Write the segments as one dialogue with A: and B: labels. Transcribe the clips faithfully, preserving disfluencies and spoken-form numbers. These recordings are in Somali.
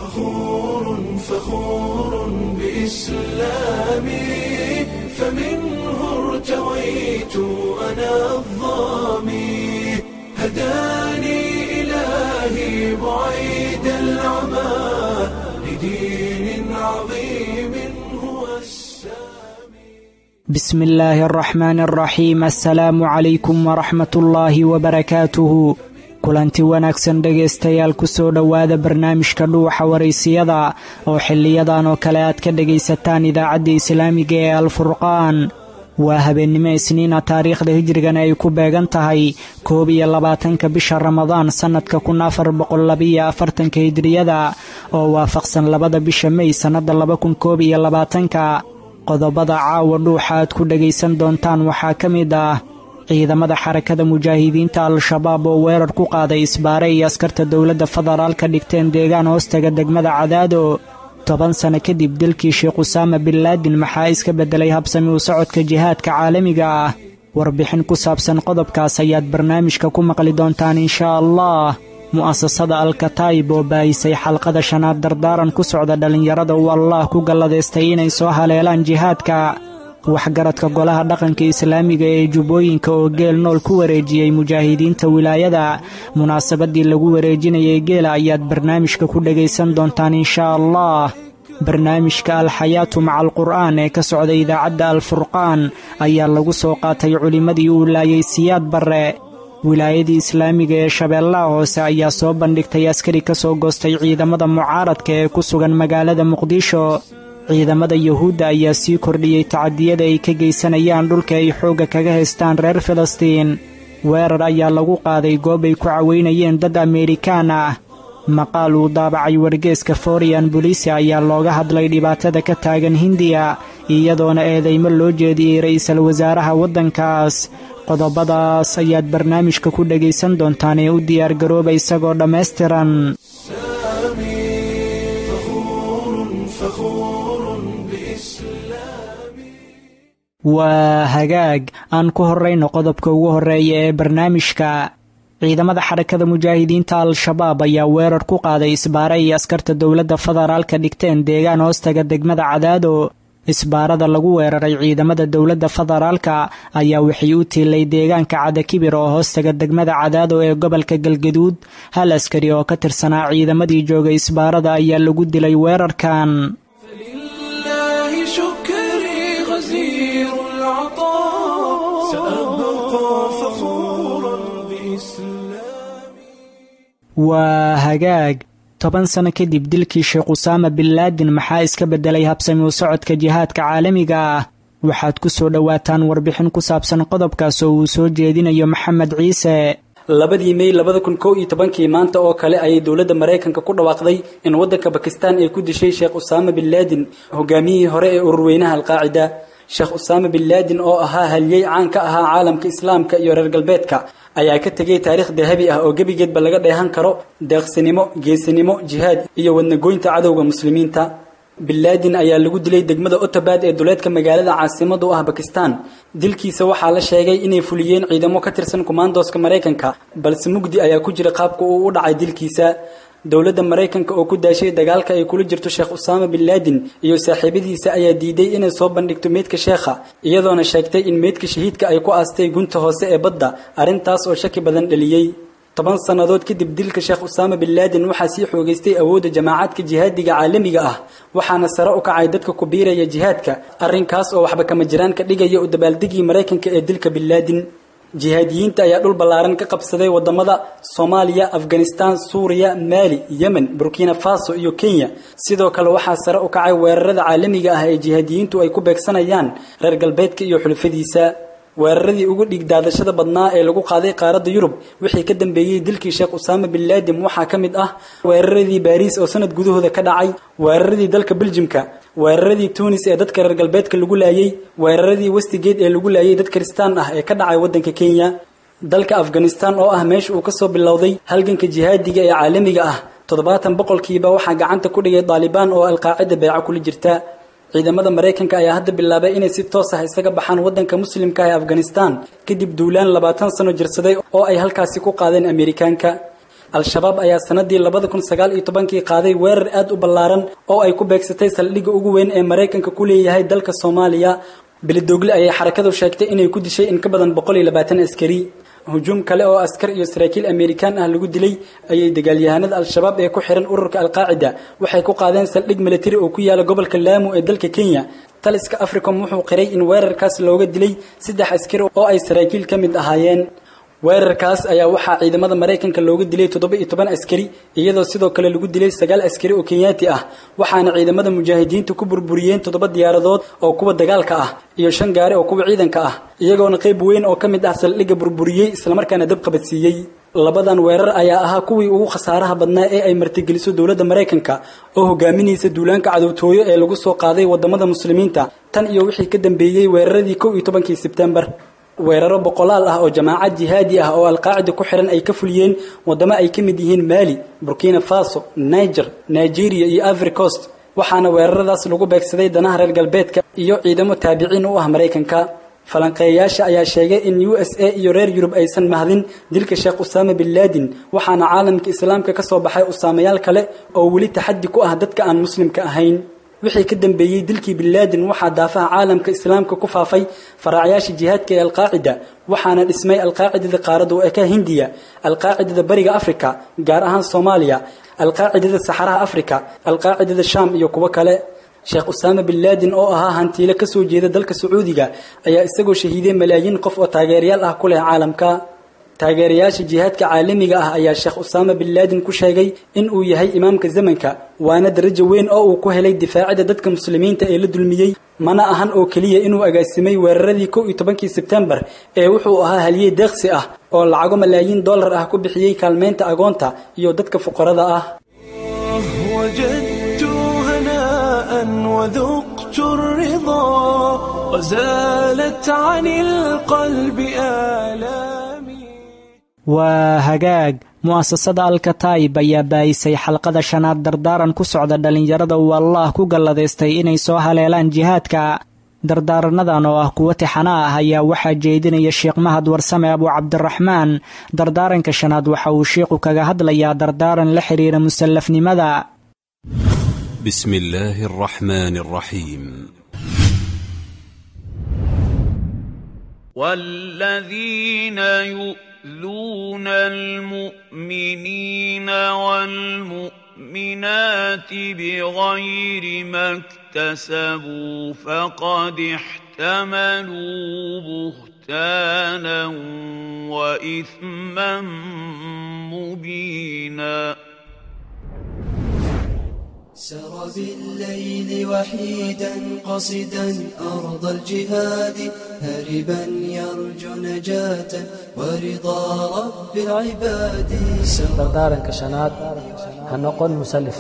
A: فخور فخور بإسلامي، فمنه ارتويت أنا الظامي، هداني إلهي بعيد العمى لدين عظيم هو السامي.
B: بسم الله الرحمن الرحيم. السلaamu calaykum waraxmat ullaahi wabarakaatuhu. Kulanti wanaagsan dhegaystayaal, kusoo dhowaada barnaamijka Dhuuxa Waraysiyada oo xiliyadan oo kale aad ka dhegaysataan idaacadda islaamiga ee Alfurqaan. Waa habeennimo Isniina, taariikhda hijrigana ay ku beegan tahay koob iyo labaatanka bisha Ramadaan sannadka kun afar boqol labiyo afartanka hijriyada, oo waafaqsan labada bisha Mey sannadda laba kun koob iyo labaatanka. Qodobada caawa Dhuuxa aad ku dhegaysan doontaan waxaa ka mid ah ciidamada Xarakada Mujaahidiinta Al-Shabaab oo weerar ku qaaday isbaare iyo askarta dowladda federaalka dhigteen deegaan hoostaga degmada Cadaado. Toban sano kadib dilkii Sheekh Usaama bin Laadin, maxaa iska beddelay habsami u socodka jihaadka caalamiga ah? Warbixin ku saabsan qodobkaas ayaad barnaamijka ku maqli doontaan inshaa Allah. Mu'asasada Alkataib oo baahisay xalqada shanaad dardaaran ku socda dhallinyarada uu Allah ku galladaystay inay soo haleelaan jihaadka. Waxgaradka golaha dhaqanka islaamiga ee Jubbooyinka oo geel nool ku wareejiyey mujaahidiinta wilaayada. Munaasabadii lagu wareejinayay geela ayaad barnaamijka ku dhegaysan doontaan inshaa Allah. Barnaamijka Alxayaatu maca Alqur'aan ee ka socda idaacadda Alfurqaan ayaa lagu soo qaatay culimmadii uu laayay Siyaad Barre. Wilaayadii islaamiga ee Shabeellaha Hoose ayaa soo bandhigtay askari ka soo goostay ciidamada mucaaradka ee ku sugan magaalada Muqdisho. Ciidamada Yuhuudda ayaa sii kordhiyey tacadiyada ay ka geysanayaan dhulka ay xoogga kaga haystaan reer Filistiin. Weerar ayaa lagu qaaday goob ay ku caweynayeen dad Ameerikaan ah. Maqaal uu daabacay wargeeska Foreign Policy ayaa looga hadlay dhibaatada ka taagan Hindiya, iyadoona eedeymo loo jeediyey ra'iisul wasaaraha waddankaas. Qodobadaas ayaad barnaamijka ku dhegaysan doontaan ee u diyaargarooba isagoo dhammaystiran.
A: سامي فخور فخور بإسلامي.
B: Waa hagaag, aan ku horrayno qodobka ugu horreeya ee barnaamijka. Ciidamada Xarakada Mujaahidiinta Al-Shabaab ayaa weerar ku qaaday isbaare iyo askarta dowladda federaalka dhigteen deegaan hoostaga degmada Cadaado. Isbaarada lagu weeraray ciidamada dowladda federaalka ayaa waxay u tiilay deegaanka Cadakibir oo hoostaga degmada Cadaado ee gobolka Galgaduud. Hal askari oo ka tirsanaa ciidamadii joogay isbaarada ayaa lagu dilay weerarkan.
A: فلله شكري غزير العطاء، سأبقى فخورا بإسلامي.
B: Waa hagaag, toban sano kadib dilkii Sheekh Usaama bin Laadin, maxaa iska beddelay habsami u socodka jihaadka caalamiga ah? Waxaad ku soo dhowaataan warbixin ku saabsan qodobkaas oo uu soo jeedinayo Maxamed Ciise.
C: Labadii May labada kun kow iyo tobankii maanta oo kale ayay dowladda Maraykanka ku dhawaaqday in waddanka Bakistan ay ku dishay Sheekh Usaama bin Laadin, hogaamiyihii hore ee ururweynaha Alqaacida. Sheekh Usaama bin Laadin oo ahaa halyey caan ka ahaa caalamka islaamka iyo reer galbeedka ayaa ka tegay taariikh dahabi ah oo gebigeedba laga dheehan karo deeqsinimo, geesinimo, jihaad iyo wadnagoynta cadowga muslimiinta. Bin Laadin ayaa lagu dilay degmada Otobad ee duleedka magaalada caasimada u ah Bakistan. Dilkiisa waxaa la sheegay inay fuliyeen ciidamo ka tirsan kumaandooska Maraykanka, balse mugdi ayaa ku jira qaabka uu u dhacay dilkiisa. Dowladda Maraykanka oo ku daashay dagaalka ay kula jirto Sheekh Usaama bin Laadin iyo saaxiibadiisa ayaa diiday inay soo bandhigto meydka sheekha, iyadoona sheegtay in meydka shahiidka ay ku aastay gunta hoose ee badda, arrintaas oo shaki badan dhaliyey. Toban sannadood kadib dilka Sheekh Usaama bin Laadin, waxaa sii xoogaystay awoodda jamaacadka jihaadiga caalamiga ah, waxaana sare u kacay dadka ku biiraya jihaadka, arrinkaas oo waxba kama jiraan ka dhigaya u dabaaldegii Maraykanka ee dilka bin Laadin. Jihaadiyiinta ayaa dhul ballaaran ka qabsaday wadamada Soomaaliya, Afghanistan, Suuriya, Maali, Yemen, Burkina Faso iyo Kenya. Sidoo kale waxaa sare u kacay weerarada caalamiga ah ee jihaadiyiintu ay ku beegsanayaan reer galbeedka iyo xulafadiisa. Weeraradii ugu dhiigdaadashada badnaa ee lagu qaaday qaaradda Yurub wixii ka dambeeyey dilkii Sheekh Usaama bin Laadin waxaa ka mid ah weeraradii Baariis oo sanad gudahooda ka dhacay, weeraradii dalka Beljimka, weeraradii Tunis ee dadka reer galbeedka lagu laayay, weeraradii Westgate ee lagu laayay dad Kristaan ah ee ka dhacay waddanka Kenya. Dalka Afghanistan oo ah meesha uu ka soo bilowday halganka jihaadiga ee caalamiga ah, toddobaatan boqolkiiba waxaa gacanta ku dhigay Daalibaan oo Alqaacida beeco kula jirta. Ciidamada Maraykanka ayaa hadda bilaabay inay si toos ah isaga baxaan waddanka muslimka ah ee Afghanistan kadib duulaan labaatan sano jirsaday oo ay halkaasi ku qaadeen Ameerikaanka. Al-Shabaab ayaa sanadii labada kun sagaal iyo tobankii qaaday weerar aad u ballaaran oo ay ku beegsatay saldhigga ugu weyn ee Mareykanka ku leeyahay dalka Soomaaliya. Beledogle ayay xarakadu sheegtay inay ku dishay in ka badan boqol iyo labaatan askari. Hujuum kale oo askar iyo saraakiil Amerikaan ah lagu dilay ayay dagaalyahanada Al-Shabaab ee ku xiran ururka Al-Qaacida waxay ku qaadeen saldhig military oo ku yaala gobolka Lamu ee dalka Kenya. Taliska Africom wuxuu qiray in weerarkaas looga dilay saddex askari oo ay saraakiil ka mid ahaayeen. Weerarkaas ayaa waxaa ciidamada Mareykanka looga dilay toddoba iyo toban askari, iyadoo sidoo kale lagu dilay sagaal askari oo Kenyaati ah, waxaana ciidamada mujaahidiintu ku burburiyeen toddoba diyaaradood oo kuwa dagaalka ah iyo shan gaari oo kuwa ciidanka ah, iyagoona qayb weyn oo ka mid ah saldhigga burburiyey islamarkaana dab qabadsiiyey. Labadan weerar ayaa ahaa kuwii ugu khasaaraha badnaa ee ay martigeliso dowladda Mareykanka oo hogaaminaysa duulaanka cadowtooyo ee lagu soo qaaday wadamada muslimiinta tan iyo wixii ka dambeeyey weeraradii kow iyo tobankii Sebtembar. Weeraro boqolaal ah oo jamaacad jihaadi ah oo Al-Qaacida ku xiran ay ka fuliyeen wadamo ay ka mid yihiin Mali, Burkina Faso, Niger, Nigeria iyo Ivory Coast, waxaana weeraradaas lagu beegsaday danaha reer galbeedka iyo ciidamo taabiciin u ah Mareykanka. Falanqeeyayaasha ayaa sheegay in U S A iyo reer Yurub aysan mahdin dilka Sheekh Usaama bin Laden, waxaana caalamka islaamka ka soo baxay usaamayaal kale oo weli taxaddi ku ah dadka aan muslimka ahayn. Wixii ka dambeeyey dilkii bin Laden waxaa daafaha caalamka islaamka ku faafay faraacayaasha jihaadka ee Al-Qaacida, waxaana dhismay Al-Qaacidada qaaradda u eka Hindiya, Al-Qaacidada Bariga Afrika gaar ahaan Soomaaliya, Al-Qaacidada Saxaraha Afrika, Al-Qaacidada Shaam iyo kuwo kale. Sheekh Usaama bin Laden oo ahaa hantiile ka soo jeeda dalka Sacuudiga ayaa isagoo shahiiday malaayiin qof oo taageerayaal ah ku leh caalamka. Taageerayaasha jihaadka caalamiga ah ayaa Sheekh Usaama bin Laden ku sheegay in uu yahay imaamka zamanka, waana darajo weyn oo uu ku helay difaacida dadka muslimiinta ee la dulmiyey. Mana ahan oo keliya inuu agaasimay weeraradii kow iyo tobankii Sebtembar ee wuxuu ahaa haliyey deeqsi ah oo lacago malaayiin dollar ah ku bixiyey kaalmeynta agoonta iyo dadka fuqarada ah.
A: وجدت هناء وذقت الرضا وزالت عن القلب آلامي.
B: Waa hagaag. Mu'asasada Al-Kataib ayaa baayisay xalqada shanaad dardaaran ku socda dhalinyarada uu Allah ku galladaystay inay soo haleelaan jihaadka. Dardaaranadan oo ah kuwo tixana ah ayaa waxaa jeedinaya Sheekh Mahad Warsame Abu Cabdiraxmaan. Dardaaranka shanaad waxa uu sheekhu kaga hadlayaa dardaaran la xiriira musallafnimada.
D: بسم الله الرحمن الرحيم.
E: والذين يؤذون المؤمنين والمؤمنات بغير ما اكتسبوا فقد احتملوا بهتانا وإثما مبينا.
F: سر بالليل وحيدا قصدا أرض الجهاد هربا يرجو نجاة ورضا رب العباد.
G: dardaaranka shanaad ha noqon musallif.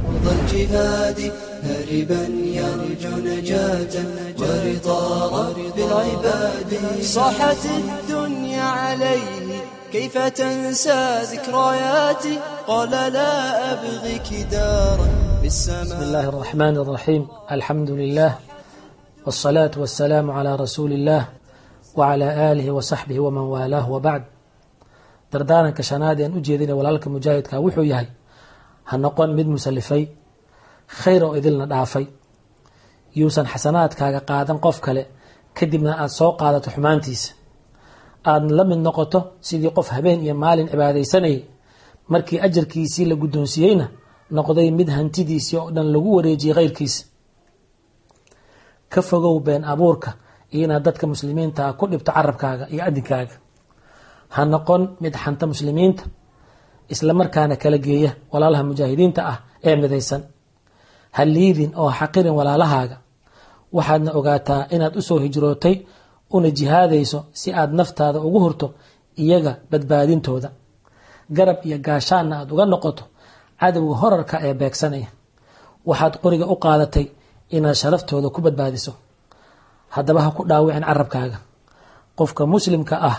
F: أرض الجهاد هربا يرجو نجاة ورضا رب العباد. صاحت الدنيا عليه كيف تنسى ذكرياتي قال لا أبغيك دارا في السماء.
G: بسم الله الرحمن الرحيم. الحمد لله والصلاة والسلام على رسول الله وعلى آله وصحبه ومن والاه وبعد. dardaaranka shanaad een u jeedina walaalka mujaahidka wuxuu yahay ha noqon mid musallifay khayr oo idilna dhaafay, yuusan xasanaadkaaga qaadan qof kale kadibna aad soo qaadato xumaantiisa, aadna la mid noqoto sidii qof habeen iyo maalin cibaadaysanayay markii ajarkiisii la guddoonsiiyeyna noqday mid hantidiisii oo dhan lagu wareejiyey khayrkiisa. Ka fogow been abuurka iyo inaad dadka muslimiinta ah ku dhibto carabkaaga iyo adinkaaga. Ha noqon mid xanta muslimiinta isla markaana kala geeya walaalaha mujaahidiinta ah ee midaysan. Ha liidin oo ha xaqirin walaalahaaga. Waxaadna ogaataa inaad usoo hijrootay una jihaadayso si aad naftaada ugu hurto iyaga badbaadintooda, garab iyo gaashaanna aad uga noqoto cadowga horarka ee beegsanaya. Waxaad qoriga u qaadatay inaad sharaftooda ku badbaadiso. Haddaba ha ku dhaawicin carabkaaga. Qofka muslimka ah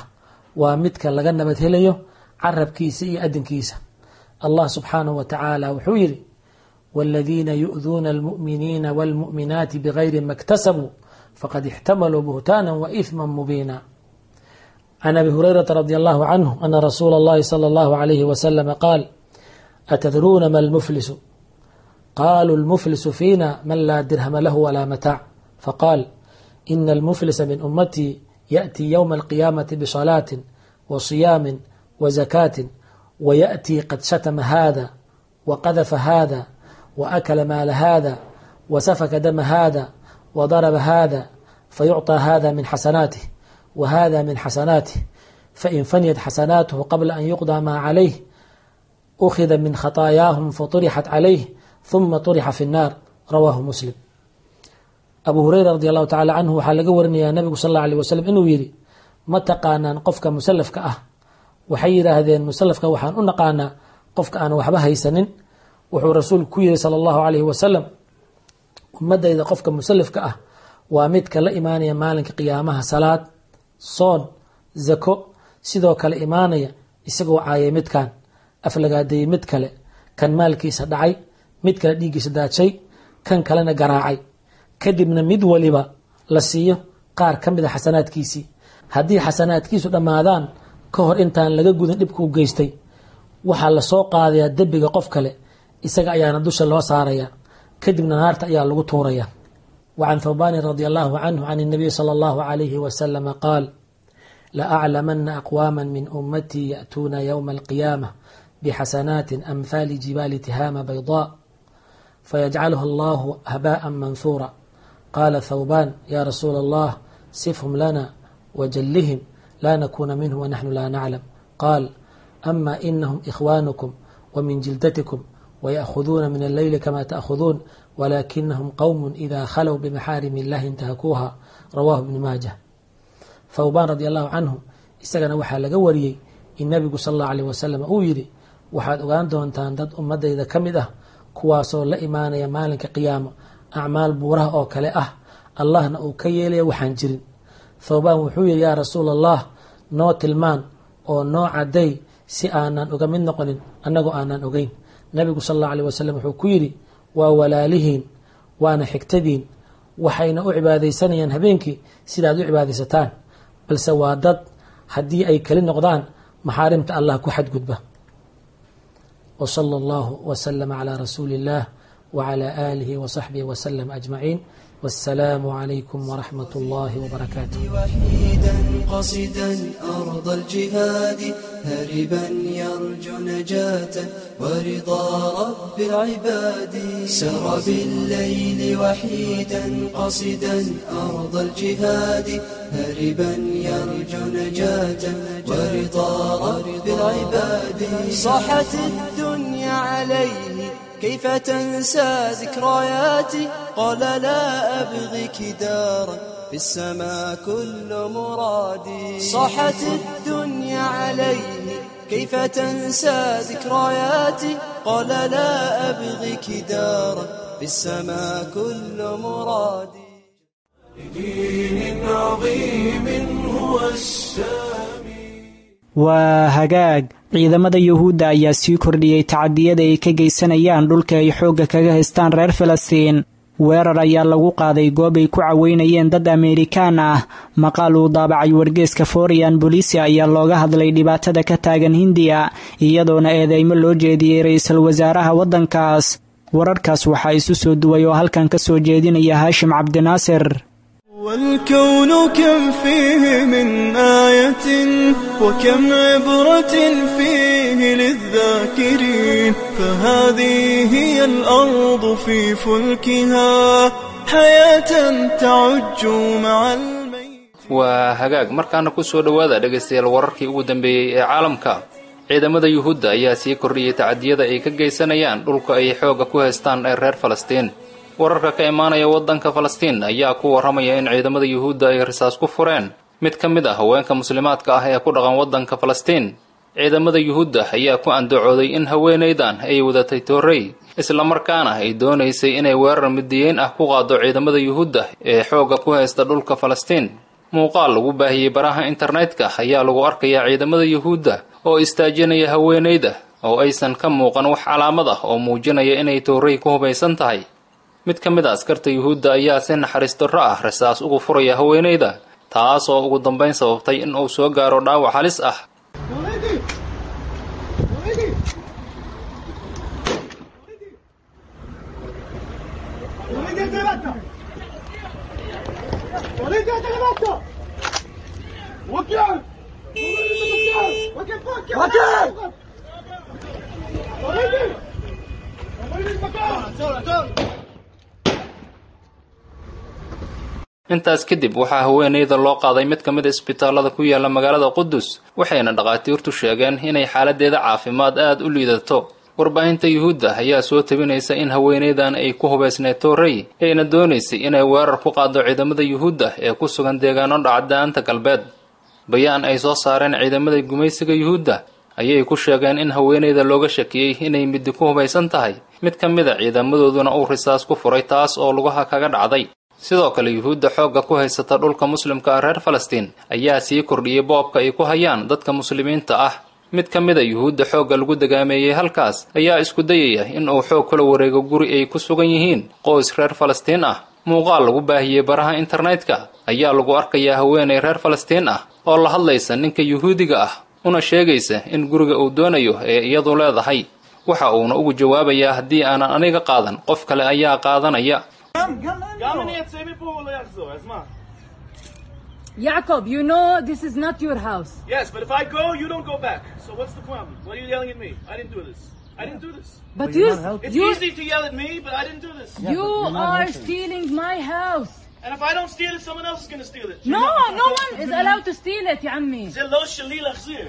G: waa midka laga nabad helayo carabkiisa iyo adinkiisa. Allah subxaanahu wa tacaala wuxuu yidhi: waaladiina yu'duuna almu'miniina waalmu'minaati bigayri ma iktasabuu faqad ixtamaluu buhtaanan wa ithman mubiina. Can abi hurayrata radia allahu canhu ana rasuula allahi sala allahu calayhi wasalama qaal atadruuna ma almuflisu qaluu almuflisu fiina man laa dirhama lahu walaa mataac faqaal ina almuflisa min ummatii yaأtii yowma alqiyaamati bisalaatin wa siyaamin wa zakaatin wayaأtii qad shatama hada waqadafa hada waakala maala hada wasafaka dama hada wadaraba hada fayucطى hada min xasanaatih wahada min xasanaatih fain faniyat xasanaatuhu qabla an yuqضى maa calayh ukhida min khataayaahum faطurixat calayh huma طurixa fi الnaar rawaahu muslim. Abu hureyra radi allahu tacala canhu waxaa laga warinayaa nabigu sal alla alيh wasalam inuu yidhi ma taqaanaan qofka musalafka ah? Waxay yidhaahdeen musalafka waxaan u naqaanaa qofka aan waxba haysanin. Wuxuu rasuulku ku yidhi sala allahu calayhi wasalam ummadayda qofka musalafka ah waa midka la imaanaya maalinka qiyaamaha salaad, soon, zako, sidoo kale imaanaya isagoo caayay midkan, aflagaadeeyey mid kale, kan maalkiisa dhacay, mid kale dhiiggiisa daajay, kan kalena garaacay, kadibna mid waliba la siiyo qaar ka mid a xasanaadkiisii. Haddii xasanaadkiisu dhammaadaan ka hor intaan laga gudin dhibkuu geystay, waxaa lasoo qaadayaa dembiga qof kale, isaga ayaana dusha loo saarayaa, kadibna naarta ayaa lagu tuurayaa. Wa can thawbaanin radia allahu canhu can الnabiy sala allahu calayhi wasalama qaal laaclamana aqwaama min ummatii ya'tuuna yowma alqiyaamah bixasanaatin amhaali jibaali tihaama baydaa fayajcaluha allahu habaءa manhuura. Qaala thawbaan ya rasuula allah sifhum lana wajallihim laa nakuuna minhum wanaxnu laa naclam. Qaal ama inahum ikhwaanukum wamin jildatikum wayaأkhuduuna min alleyli kama ta'khuduun walaakinahum qowm ida khalow bimaxaarimi illahi intahakuuha. Rawaahu ibnu maajah. Thawbaan radi allahu canhu isagana waxaa laga wariyey in nabigu sal allahu aleyh wasalam uu yidhi waxaad ogaan doontaan dad ummadayda ka mid ah kuwaasoo la imaanaya maalinka qiyaamo acmaal buuraha oo kale ah, allahna uu ka yeelaya waxaan jirin. Thawbaan wuxuu yidhi yaa rasuula allah noo tilmaan oo noo cadday si aanan uga mid noqonin annagoo aanan ogeyn. Nabigu sal allahu aleyh wasalam wuxuu ku yidhi waa walaalihiin waana xigtadiin, waxayna u cibaadaysanayaan habeenkii sidaad u cibaadaysataan, balse waa dad haddii ay keli noqdaan maxaarimta allah ku xadgudba. Wa sala allahu wasalama calaa rasuuli illah wacalaa aalihi wasaxbihi wasalam ajmaciin. والسلام عليكم ورحمة الله وبركاته.
F: وحيدا قصدا أرض الجهاد هاربا يرجو نجاة ورضا رب العباد. سر بالليل وحيدا قصدا أرض الجهاد هاربا يرجو نجاة ورضا رب العباد. صاحت الدنيا عليه كيف تنسى ذكرياتي؟ قال لا أبغيك دارا في السماء كل مرادي. صاحت الدنيا عليه كيف تنسى ذكرياتي؟ قال لا أبغيك دارا في السماء كل مرادي.
A: لدين عظيم هو السامي.
B: Waa hagaag. Ciidamada yuhuudda ayaa sii kordhiyey tacadiyada ay ka geysanayaan dhulka ay xoogga kaga haystaan reer Filistiin. Weerar ayaa lagu qaaday goob ay ku caweynayeen dad Ameerikaan ah. Maqaal uu daabacay wargeeska Foreign Policy ayaa looga hadlay dhibaatada ka taagan Hindiya, iyadoona eedeymo loo jeediyey ra'iisul wasaaraha waddankaas. Wararkaas waxaa isu soo duway oo halkan ka soo jeedinaya Haashim Cabdinaasir.
A: والكون كم فيه من آية وكم عبرة فيه للذاكرين، فهذه هي الأرض في فلكها حياة تعج مع الميت.
H: Waa hagaag, markaana ku soo dhowaada dhegaystayaal wararkii ugu dambeeyey ee caalamka. Ciidamada yuhuudda ayaa sii kordhiyey tacadiyada ay ka geysanayaan dhulka ay xoogga ku haystaan ee reer Falastiin. Wararka ka imaanaya waddanka Falastiin ayaa ku warramaya in ciidamada yuhuudda ay risaas ku fureen mid ka mid ah haweenka muslimaadka ah ee ku dhaqan waddanka Falastiin. Ciidamada yuhuudda ayaa ku andacooday in haweenaydan ay wadatay toorey, islamarkaana ay doonaysay inay weerar midiyeyn ah ku qaado ciidamada yuhuudda ee xoogga ku haysta dhulka Falastiin. Muuqaal lagu baahiyey baraha internetka ayaa lagu arkayaa ciidamada yuhuudda oo istaajinaya haweenayda oo aysan ka muuqan wax calaamad ah oo muujinaya inay toorey ku hubaysan tahay. Mid ka mid a askarta yuhuudda ayaa si naxariis darro ah rasaas ugu furaya haweenayda, taas oo ugu dambeyn sababtay in uu soo gaaro dhaawac halis ah. Intaas kadib waxaa haweeneyda loo qaaday mid ka mid ah isbitaalada ku yaala magaalada Qudus, waxayna dhaqaatiirtu sheegeen inay xaaladeeda caafimaad aad u liidato. Warbaahinta Yuhuudda ayaa soo tabinaysa in haweeneydan ay ku hubaysneyd toorey, ayna doonaysay inay weerar ku qaado ciidamada Yuhuudda ee ku sugan deegaano dhaca daanta galbeed. Bayaan ay soo saareen ciidamada gumaysiga Yuhuudda ayay ku sheegeen in haweeneyda looga shakiyey inay midi ku hubaysan tahay, mid ka mid a ciidamadooduna uu risaas ku furay, taas oo lugaha kaga dhacday. Sidoo kale Yuhuudda xoogga ku haysata dhulka muslimka ah reer Falastiin ayaa sii kordhiyey boobka ay ku hayaan dadka muslimiinta ah. Mid ka mid a Yuhuudda xoogga lagu dagaameeyey halkaas ayaa isku dayaya in uu xoog kula wareego guri ay ku sugan yihiin qoys reer Falastiin ah. Muuqaal lagu baahiyey baraha internetka ayaa lagu arkayaa haweeney reer Falastiin ah oo la hadlaysa ninka Yuhuudiga ah, una sheegaysa in guriga uu doonayo ee iyadu leedahay. Waxa uuna ugu jawaabayaa haddii aanan aniga qaadan, qof kale ayaa qaadanaya.
I: Jacob, you know this is not your house.
J: Yes, but if I go, you don't go back. So what's the problem? Why are you yelling at me? I didn't do this. I didn't do this.
I: But you're,
J: It's
I: you're,
J: easy to yell at me, but I didn't do this.
I: you are stealing my house.
J: And if I don't steal it, someone else is going to steal it.
I: No, no one is allowed to steal it, يا عمي.
J: זה לא שלי להחזיר.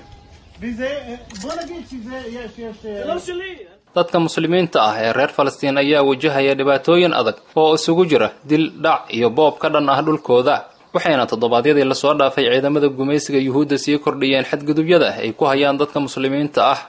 J: זה לא שלי.
H: Dadka muslimiinta ah ee reer Falastiin ayaa wajahaya dhibaatooyin adag oo isugu jira dil, dhac iyo boob ka dhan ah dhulkooda, waxayna toddobaadyadii lasoo dhaafay ciidamada gumaysiga Yuhuudda sii kordhiyeen xadgudubyada ay ku hayaan dadka muslimiinta ah.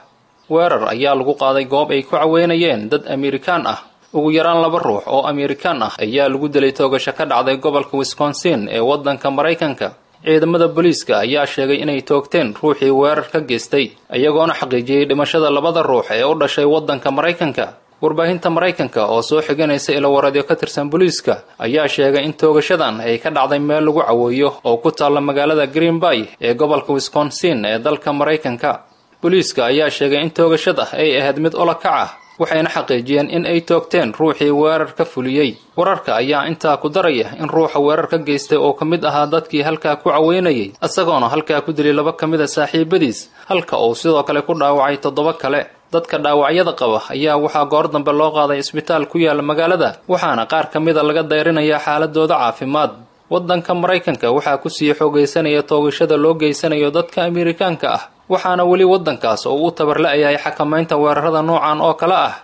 H: Weerar ayaa lagu qaaday goob ay ku caweynayeen dad Amerikaan ah. Ugu yaraan laba ruux oo Amerikaan ah ayaa lagu dilay toogasho ka dhacday gobolka Wisconsin ee waddanka Maraykanka. Ciidamada booliiska ayaa sheegay inay toogteen ruuxii weerar ka geystay, iyagoona xaqiijiyey dhimashada labada ruux ee u dhashay waddanka Maraykanka. Warbaahinta Maraykanka oo soo xiganaysa ilo wareedyo ka tirsan booliiska ayaa sheegay in toogashadan ay ka dhacday meel lagu caweeyo oo ku taalla magaalada Green Bay ee gobolka Wisconsin ee dalka Maraykanka. Booliiska ayaa sheegay in toogashada ay ahayd mid ula kac ah, waxayna xaqiijiyeen in ay toogteen ruuxii weerar ka fuliyey. Wararka ayaa intaa ku daraya in ruuxa weerar ka geystay oo ka mid ahaa dadkii halkaa ku caweynayay, isagoona halkaa ku dilay laba ka mid a saaxiibadiis, halka uu sidoo kale ku dhaawacay toddoba kale. Dadka dhaawacyada qaba ayaa waxaa goor dambe loo qaaday isbitaal ku yaala magaalada, waxaana qaar ka mid a laga dayrinayaa xaaladooda caafimaad. Waddanka Maraykanka waxaa ku sii xoogaysanaya toogashada loo geysanayo dadka Amerikaanka ah, waxaana weli waddankaas oo u tabarla'yahay xakamaynta weerarada noocan oo kale ah.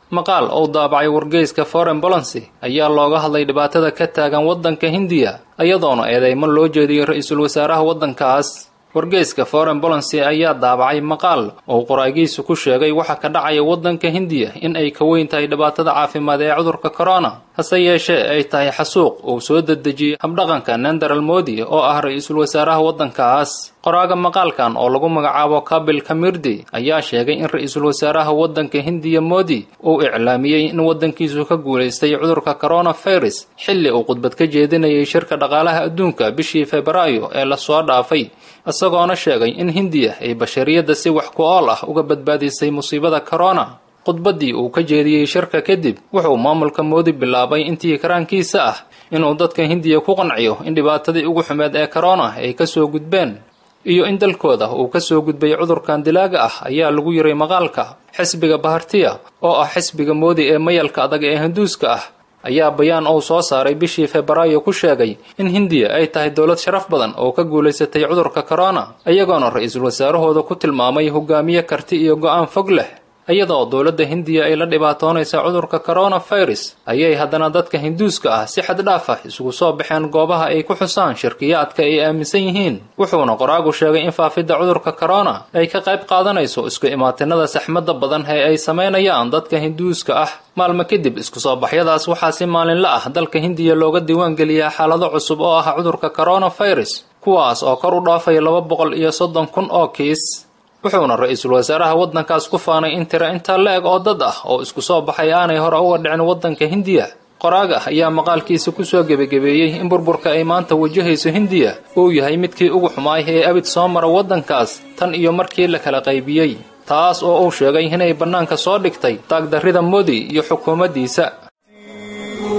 H: Maqaal uu daabacay wargeyska Foreign Policy ayaa looga hadlay dhibaatada ka taagan waddanka Hindiya, iyadoona eedeymo loo jeediyey ra-iisul wasaaraha waddankaas. Wargeyska Foreign Policy ayaa daabacay maqaal oo qoraagiisu ku sheegay waxa ka dhacaya waddanka Hindiya in ay ka weyn tahay dhibaatada caafimaad ee cudurka corona, hase yeeshee ay tahay xasuuq uu soo dedejiyey habdhaqanka Narendra Modi oo ah ra-iisul wasaaraha waddankaas. Qoraaga maqaalkan oo lagu magacaabo Kapil Kamirdi ayaa sheegay in ra-iisul wasaaraha waddanka Hindiya Modi uu iclaamiyey in waddankiisu ka guulaystay cudurka coronavirus xilli uu khudbad ka jeedinayay shirka dhaqaalaha adduunka bishii Febraayo ee lasoo dhaafay, isagoona sheegay in Hindiya ay bashariyadda si wax ku ool ah uga badbaadisay musiibada corona. Khudbaddii uu ka jeediyey shirka kadib, wuxuu maamulka Modi bilaabay intii karaankiisa ah inuu dadka Hindiya ku qanciyo in dhibaatadii ugu xumeed ee corona ay ka soo gudbeen iyo in dalkooda uu ka soo gudbay cudurkan dilaaga ah, ayaa lagu yiray maqaalka. Xisbiga Bharatiya oo ah xisbiga Modi ee mayalka adag ee Hinduuska ah ayaa bayaan uu soo saaray bishii Febraayo ku sheegay in Hindiya ay tahay dowlad sharaf badan oo ka guulaysatay cudurka corona, iyagoona ra-iisul wasaarahooda ku tilmaamay hogaamiye karti iyo go'aan fog leh. Iyadoo dowladda Hindiya ay la dhibaatoonaysa cudurka coronavirus, ayay haddana dadka Hinduuska ah si xad dhaaf ah isugu soo baxeen goobaha ay ku xusaan shirkiyaadka ay aaminsan yihiin. Wuxuuna qoraagu sheegay in faafidda cudurka corona ay ka qayb qaadanayso isku imaatinada saxmadda badan ee ay samaynayaan dadka Hinduuska ah. Maalmo kadib isku soo baxyadaas waxaa si maalinle ah dalka Hindiya looga diiwaangeliyaa xaalado cusub oo ah cudurka coronavirus, kuwaas oo kor u dhaafaya laba boqol iyo soddon kun oo kiis. Wuxuuna ra-iisul wasaaraha waddankaas ku faanay in tiro intaa la-eg oo dad ah oo isku soo baxay aanay hore uga dhicin waddanka Hindiya. Qoraaga ayaa maqaalkiisa ku soo gebagebeeyey in burburka ay maanta wajahayso Hindiya uu yahay midkii ugu xumaay ee abid soo mara waddankaas tan iyo markii la kala qaybiyey, taas oo uu sheegay inay bannaanka soo dhigtay taagdarrida Modi iyo xukuumaddiisa.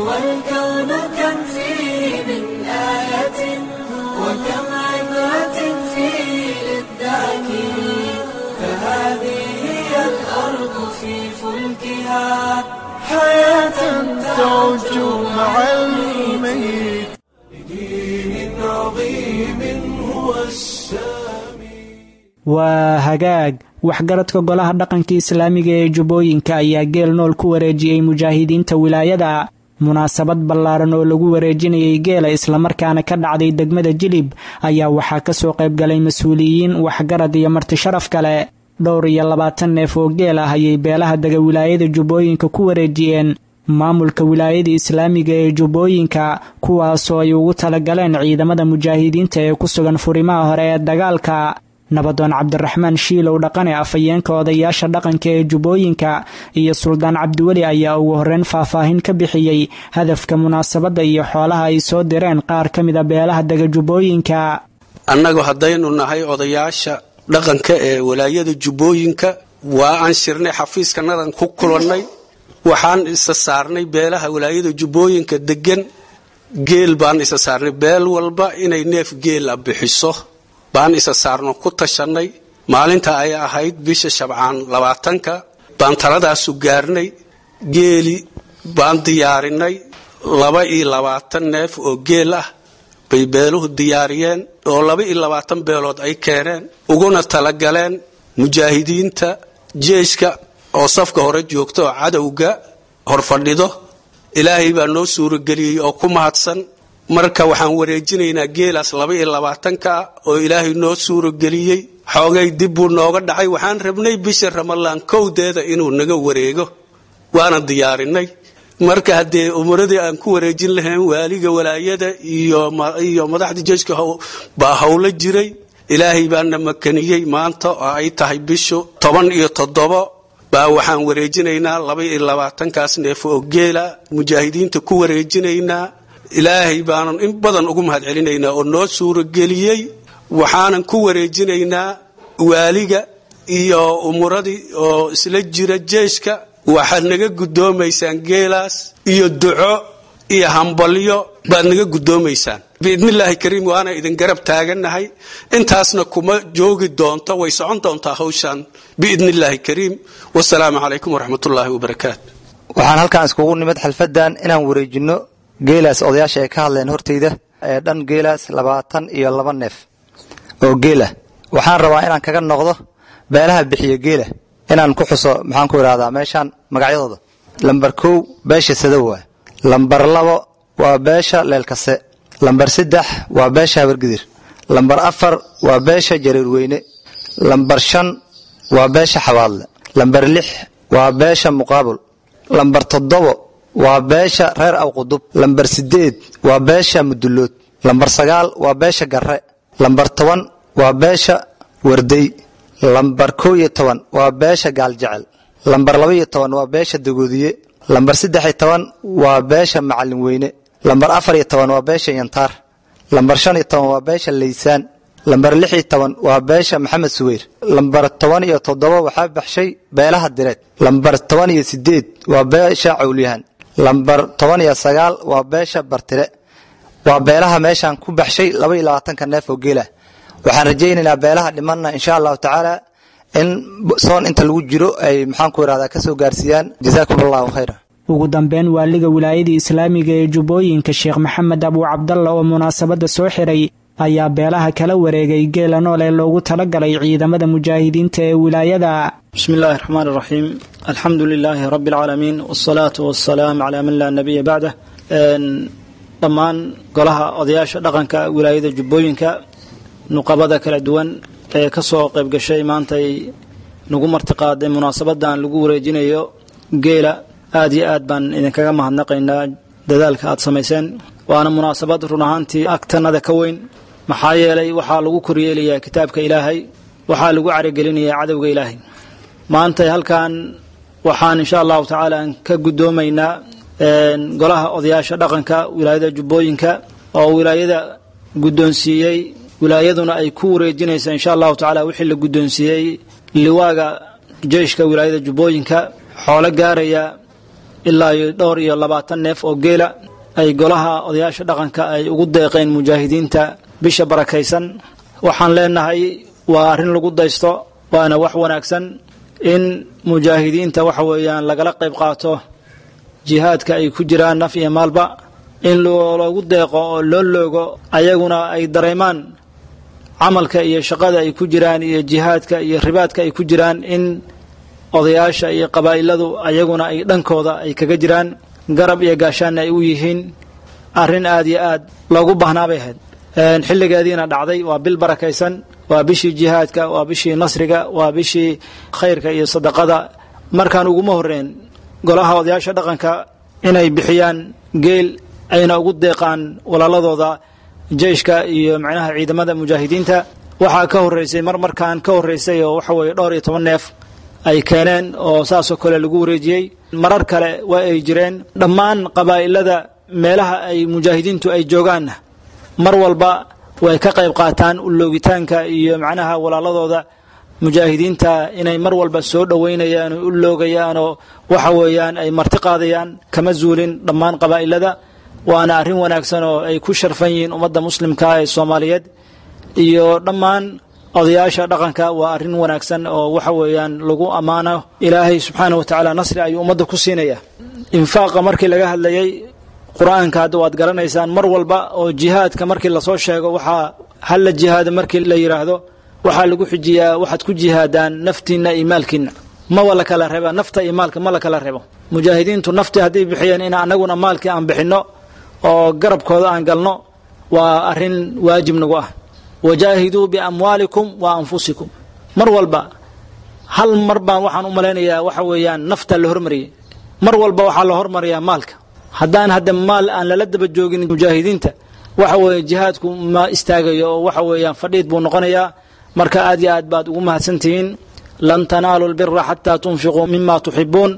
K: والكون كم فيه من آية وكم عبرة فيه للذاكرين فهذه هي الأرض في فلكها
A: حياة تعج مع الميت.
K: لدين عظيم هو السامي.
B: Waa hagaag. Waxgaradka golaha dhaqanka islaamiga ee Jubbooyinka ayaa geel nool ku wareejiyey mujaahidiinta wilaayada. Munaasabad ballaaran oo lagu wareejinayay geela islamarkaana ka dhacday degmada Jilib ayaa waxaa kasoo qayb galay mas-uuliyiin, waxgarad iyo marti sharaf kale. Dhowr iyo labaatan neef oo geel ah ayay beelaha dega wilaayada Jubbooyinka ku wareejiyeen maamulka wilaayada islaamiga ee Jubbooyinka, kuwaasoo ay ugu talagaleen ciidamada mujaahidiinta ee ku sugan furimaha hore ee dagaalka. Nabadoon Cabdiraxmaan Shiilow Dhaqane, afhayeenka odayaasha dhaqanka ee Jubbooyinka, iyo Suldaan Cabdiweli ayaa ugu horreyn faahfaahin ka bixiyey hadafka munaasabadda iyo xoolaha ay soo direen qaar ka mida beelaha dega Jubbooyinka.
L: Annagu haddaynu nahay odayaasha dhaqanka ee walaayada Jubbooyinka, waa aan shirnay, xafiiskanadan ku kulannay, waxaan isa saarnay beelaha walaayada Jubbooyinka degan geel baan isa saarnay, beel walba inay neef geela bixiso baan isa saarno ku tashanay. Maalinta ay ahayd bisha Shabcaan labaatanka baan taladaasu gaarnay. Geeli baan diyaarinay, laba iyo labaatan neef oo geel ah bay beeluhu diyaariyeen oo laba iyo labaatan beelood ay keeneen, uguna talagaleen mujaahidiinta jeeshka oo safka hore joogta oo cadowga horfadhido. Ilaahay baa noo suurageliyey oo ku mahadsan. Marka waxaan wareejinaynaa geelaas laba iyo labaatanka oo ilaahay noo suurageliyey. Xoogay dib buu nooga dhacay, waxaan rabnay bisha Ramalaan kowdeeda inuu naga wareego, waana diyaarinay. Marka haddee umuradii aan ku wareejin lahayn waaliga walaayada iyo iyo madaxda jeeshka baa howlo jiray. Ilaahay baana makaniyey, maanta oo ay tahay bishu toban iyo toddobo baa waxaan wareejinaynaa laba iyo labaatankaas neef oo geela mujaahidiinta ku wareejinaynaa. Ilaahay baanan in badan ugu mahad celinaynaa oo noo suurageliyey. Waxaanan ku wareejinaynaa waaliga iyo umuradii oo isla jira jeeshka. Waxaad naga guddoomaysaan geelaas iyo duco iyo hambalyo baad naga guddoomaysaan biidnillaahi kariim, waana idin garab taagannahay. Intaasna kuma joogi doonto, way socon doontaa hawshan biidnillaahi kariim. Wasalaamu calaykum waraxmatullaahi wabarakaatu.
M: Waxaan halkaan iskugu nimid xalfadan inaan wareejinno geelaas odayaasha ay ka hadleen hortayda ee dhan geelaas labaatan iyo laba neef oo geela. Waxaan rabaa inaan kaga noqdo beelaha bixiya geela inaan ku xuso, maxaan ku idhahdaa, meeshaan magacyadooda. Lambar kow beesha Sadow waa, lambar labo waa beesha Leelkase, lambar saddex waa beesha Habargidir, lambar afar waa beesha Jareerweyne, lambar shan waa beesha Xabaadle, lambar lix waa beesha Muqaabul, lambar toddobo waa beesha reer Awqudub, lambar sideed waa beesha Mudulood, lambar sagaal waa beesha Garre, lambar toban waa beesha Wardey, lambar kow iyo toban waa beesha Gaaljecel, lambar laba iyo toban waa beesha Dagoodiye, lambar saddex iyo toban waa beesha Macalin Weyne, lambar afar iyo toban waa beesha Yantaar, lambar shan iyo toban waa beesha Laysaan, lambar lix iyo toban waa beesha Maxamed Suweyr, lambar toban iyo toddoba waxaa baxshay beelaha Direed, lambar toban iyo sideed waa beesha Cawlyahan, lambar toban iyo sagaal waa beesha Bartire. Waa beelaha meeshaan ku baxshay laba iyo labaatanka neef oo geela. Waxaan rajaynaynaa beelaha dhimanna insha allahu tacaala in soon inta lagu jiro ay maxaan ku idhahdaa kasoo gaarsiiyaan. Jazaakum allahu khayra.
B: Ugu dambeyn, waaliga wilaayada islaamiga ee Jubbooyinka Sheekh Maxamed Abuu Cabdalla oo munaasabadda soo xiray ayaa beelaha kala wareegay geela nool ee loogu talagalay ciidamada mujaahidiinta ee wilaayada.
N: بسم الله الرحمن الرحيم، الحمد لله رب العالمين، والصلاة والسلام على من لا نبي بعده. Dhammaan golaha odayaasha dhaqanka wilaayada Jubbooyinka, nuqabada kala duwan ee ka soo qayb gashay maantay nagu martiqaaday munaasabadan lagu wareejinayo geela, aad iyo aad baan idinkaga mahadnaqaynaa dadaalka aad samayseen. Waana munaasabad run ahaantii agtanada ka weyn, maxaa yeelay waxaa lagu koryeelayaa kitaabka Ilaahay, waxaa lagu caragelinayaa cadowga Ilaahay. Maanta halkan waxaan insha allahu tacaala aan ka guddoomaynaa Golaha odayaasha dhaqanka wilaayada Jubbooyinka oo wilaayada guddoonsiiyey, wilaayaduna ay ku wareejinaysa insha Allahu tacaala wixii la guddoonsiiyey liwaaga jeyshka wilaayada Jubbooyinka, xoolo gaaraya ilaa iyo dhowr iyo labaatan neef oo geela ay golaha odayaasha dhaqanka ay ugu deeqeen mujaahidiinta bisha barakaysan. Waxaan leenahay waa arrin lagu daysto, waana wax wanaagsan in mujaahidiinta waxa weeyaan lagala qayb qaato jihaadka ay ku jiraan naf iyo maalba, in loogu deeqo oo loo loogo, ayaguna ay dareemaan camalka iyo shaqada ay ku jiraan iyo jihaadka iyo ribaadka ay ku jiraan, in odayaasha iyo qabaa'iladu ayaguna ay dhankooda ay kaga jiraan, garab iyo gaashaanna ay u yihiin. Arrin aad iyo aad loogu baahnaa bay ahayd, xilligeediina dhacday. Waa bil barakaysan, waa bishii jihaadka, waa bishii nasriga, waa bishii khayrka iyo sadaqada. Markaan uguma horreyn golaha odayaasha dhaqanka inay bixiyaan geel ayna ugu deeqaan walaaladooda jeyshka iyo macnaha ciidamada mujaahidiinta. Waxaa ka horreysay mar markaan ka horreysay oo waxa weeye dhowr iyo toban neef ay keeneen oo saasoo kale lagu wareejiyey. Marar kale waa ay jireen. Dhammaan qabaa'ilada meelaha ay mujaahidiintu ay joogaanna mar walba way ka qayb qaataan uloogitaanka iyo macnaha walaaladooda mujaahidiinta inay mar walba soo dhoweynayaan oo u loogayaan oo waxa weeyaan ay marti qaadayaan, kama zuulin dhammaan qabaa'ilada. Waana arrin wanaagsan oo ay ku sharfan yihiin ummadda muslimka ee Soomaaliyeed iyo dhammaan odayaasha dhaqanka. Waa arrin wanaagsan oo waxa weeyaan lagu ammaano. Ilaahay subxaana wa tacaala nasri ayuu ummadda ku siinaya. Infaaqa markii laga hadlayay qur-aanka hadda waad garanaysaan, mar walba oo jihaadka markii lasoo sheego, waxaa halla jihaado markii la yidhaahdo, waxaa lagu xijiyaa waxaad ku jihaadaan naftiinna iyo maalkiinna. Maba la kala reeba nafta iyo maalka, ma la kala reebo. Mujaahidiintu naftii hadday bixiyeen, in annaguna maalkii aan bixinno oo garabkooda aan galno waa arrin waajib nagu ah. Wajaahiduu biamwaalikum wa anfusikum. Mar walba hal mar baan waxaan u malaynayaa waxa weeyaan nafta la hormariyey, mar walba waxaa la hormariyaa maalka. Haddaan hadda maal aan lala daba joogin mujaahidiinta, waxa weeye jihaadku ma istaagayo oo waxa weeyaan fadhiid buu noqonayaa. Marka aad iyo aad baad ugu mahadsantihiin. Lan tanaalu lbira xataa tunfiquu mima tuxibuun.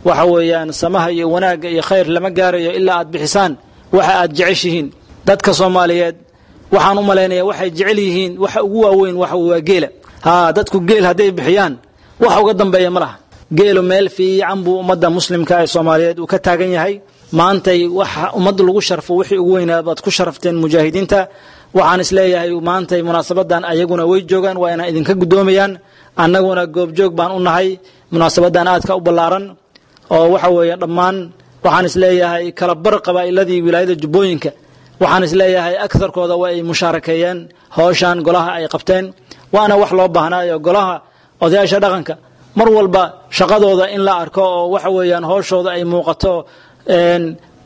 N: Waxa weeyaan samaha iyo wanaagga iyo khayr lama gaarayo ilaa aad bixisaan waxa aad jeceshihiin. Dadka Soomaaliyeed waxaan u malaynayaa waxay jecel yihiin waxa ugu waaweyn waxa waa geela. Haa, dadku geel hadday bixiyaan wax uga dambeeya ma laha. Geelu meel fiican buu ummadda muslimka ee Soomaaliyeed uu ka taagan yahay. Maantay waxa ummadda lagu sharfo wixii ugu weynaa baad ku sharafteen mujaahidiinta. Waxaan isleeyahay maantay munaasabadan ayaguna way joogaan, waa inaan idinka guddoomayaan, annaguna goobjoog baan u nahay munaasabadan aadka u ballaaran oo waxa weeye dhammaan waxaan isleeyahay kala bar qabaa'iladii wilaayada Jubbooyinka waxaan isleeyahay agarkooda waa ay mushaarakeeyeen howshan golaha ay qabteen. Waana wax loo baahnaayo golaha odayaasha dhaqanka mar walba shaqadooda in la arko oo waxa weeyaan howshooda ay muuqato,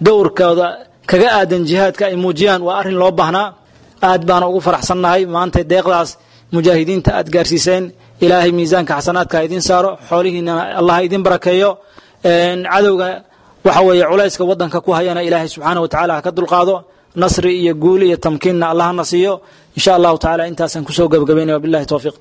N: dowrkooda kaga aadan jihaadka ay muujiyaan, waa arrin loo baahnaa. Aad baana ugu faraxsannahay maanta deeqdaas mujaahidiinta aad gaarsiiseen. Ilaahay miisaanka xasanaadka ha idin saaro, xoolihiinana Allah ha idin barakeeyo. Cadowga waxa weeye culayska waddanka ku hayana Ilaahay subxaana wa tacaala ha ka dulqaado, nasri iyo guul iyo tamkiinna Allahna siiyo insha Allahu tacaala. Intaasaan kusoo gabagabaynaya, wabillahi towfiiq.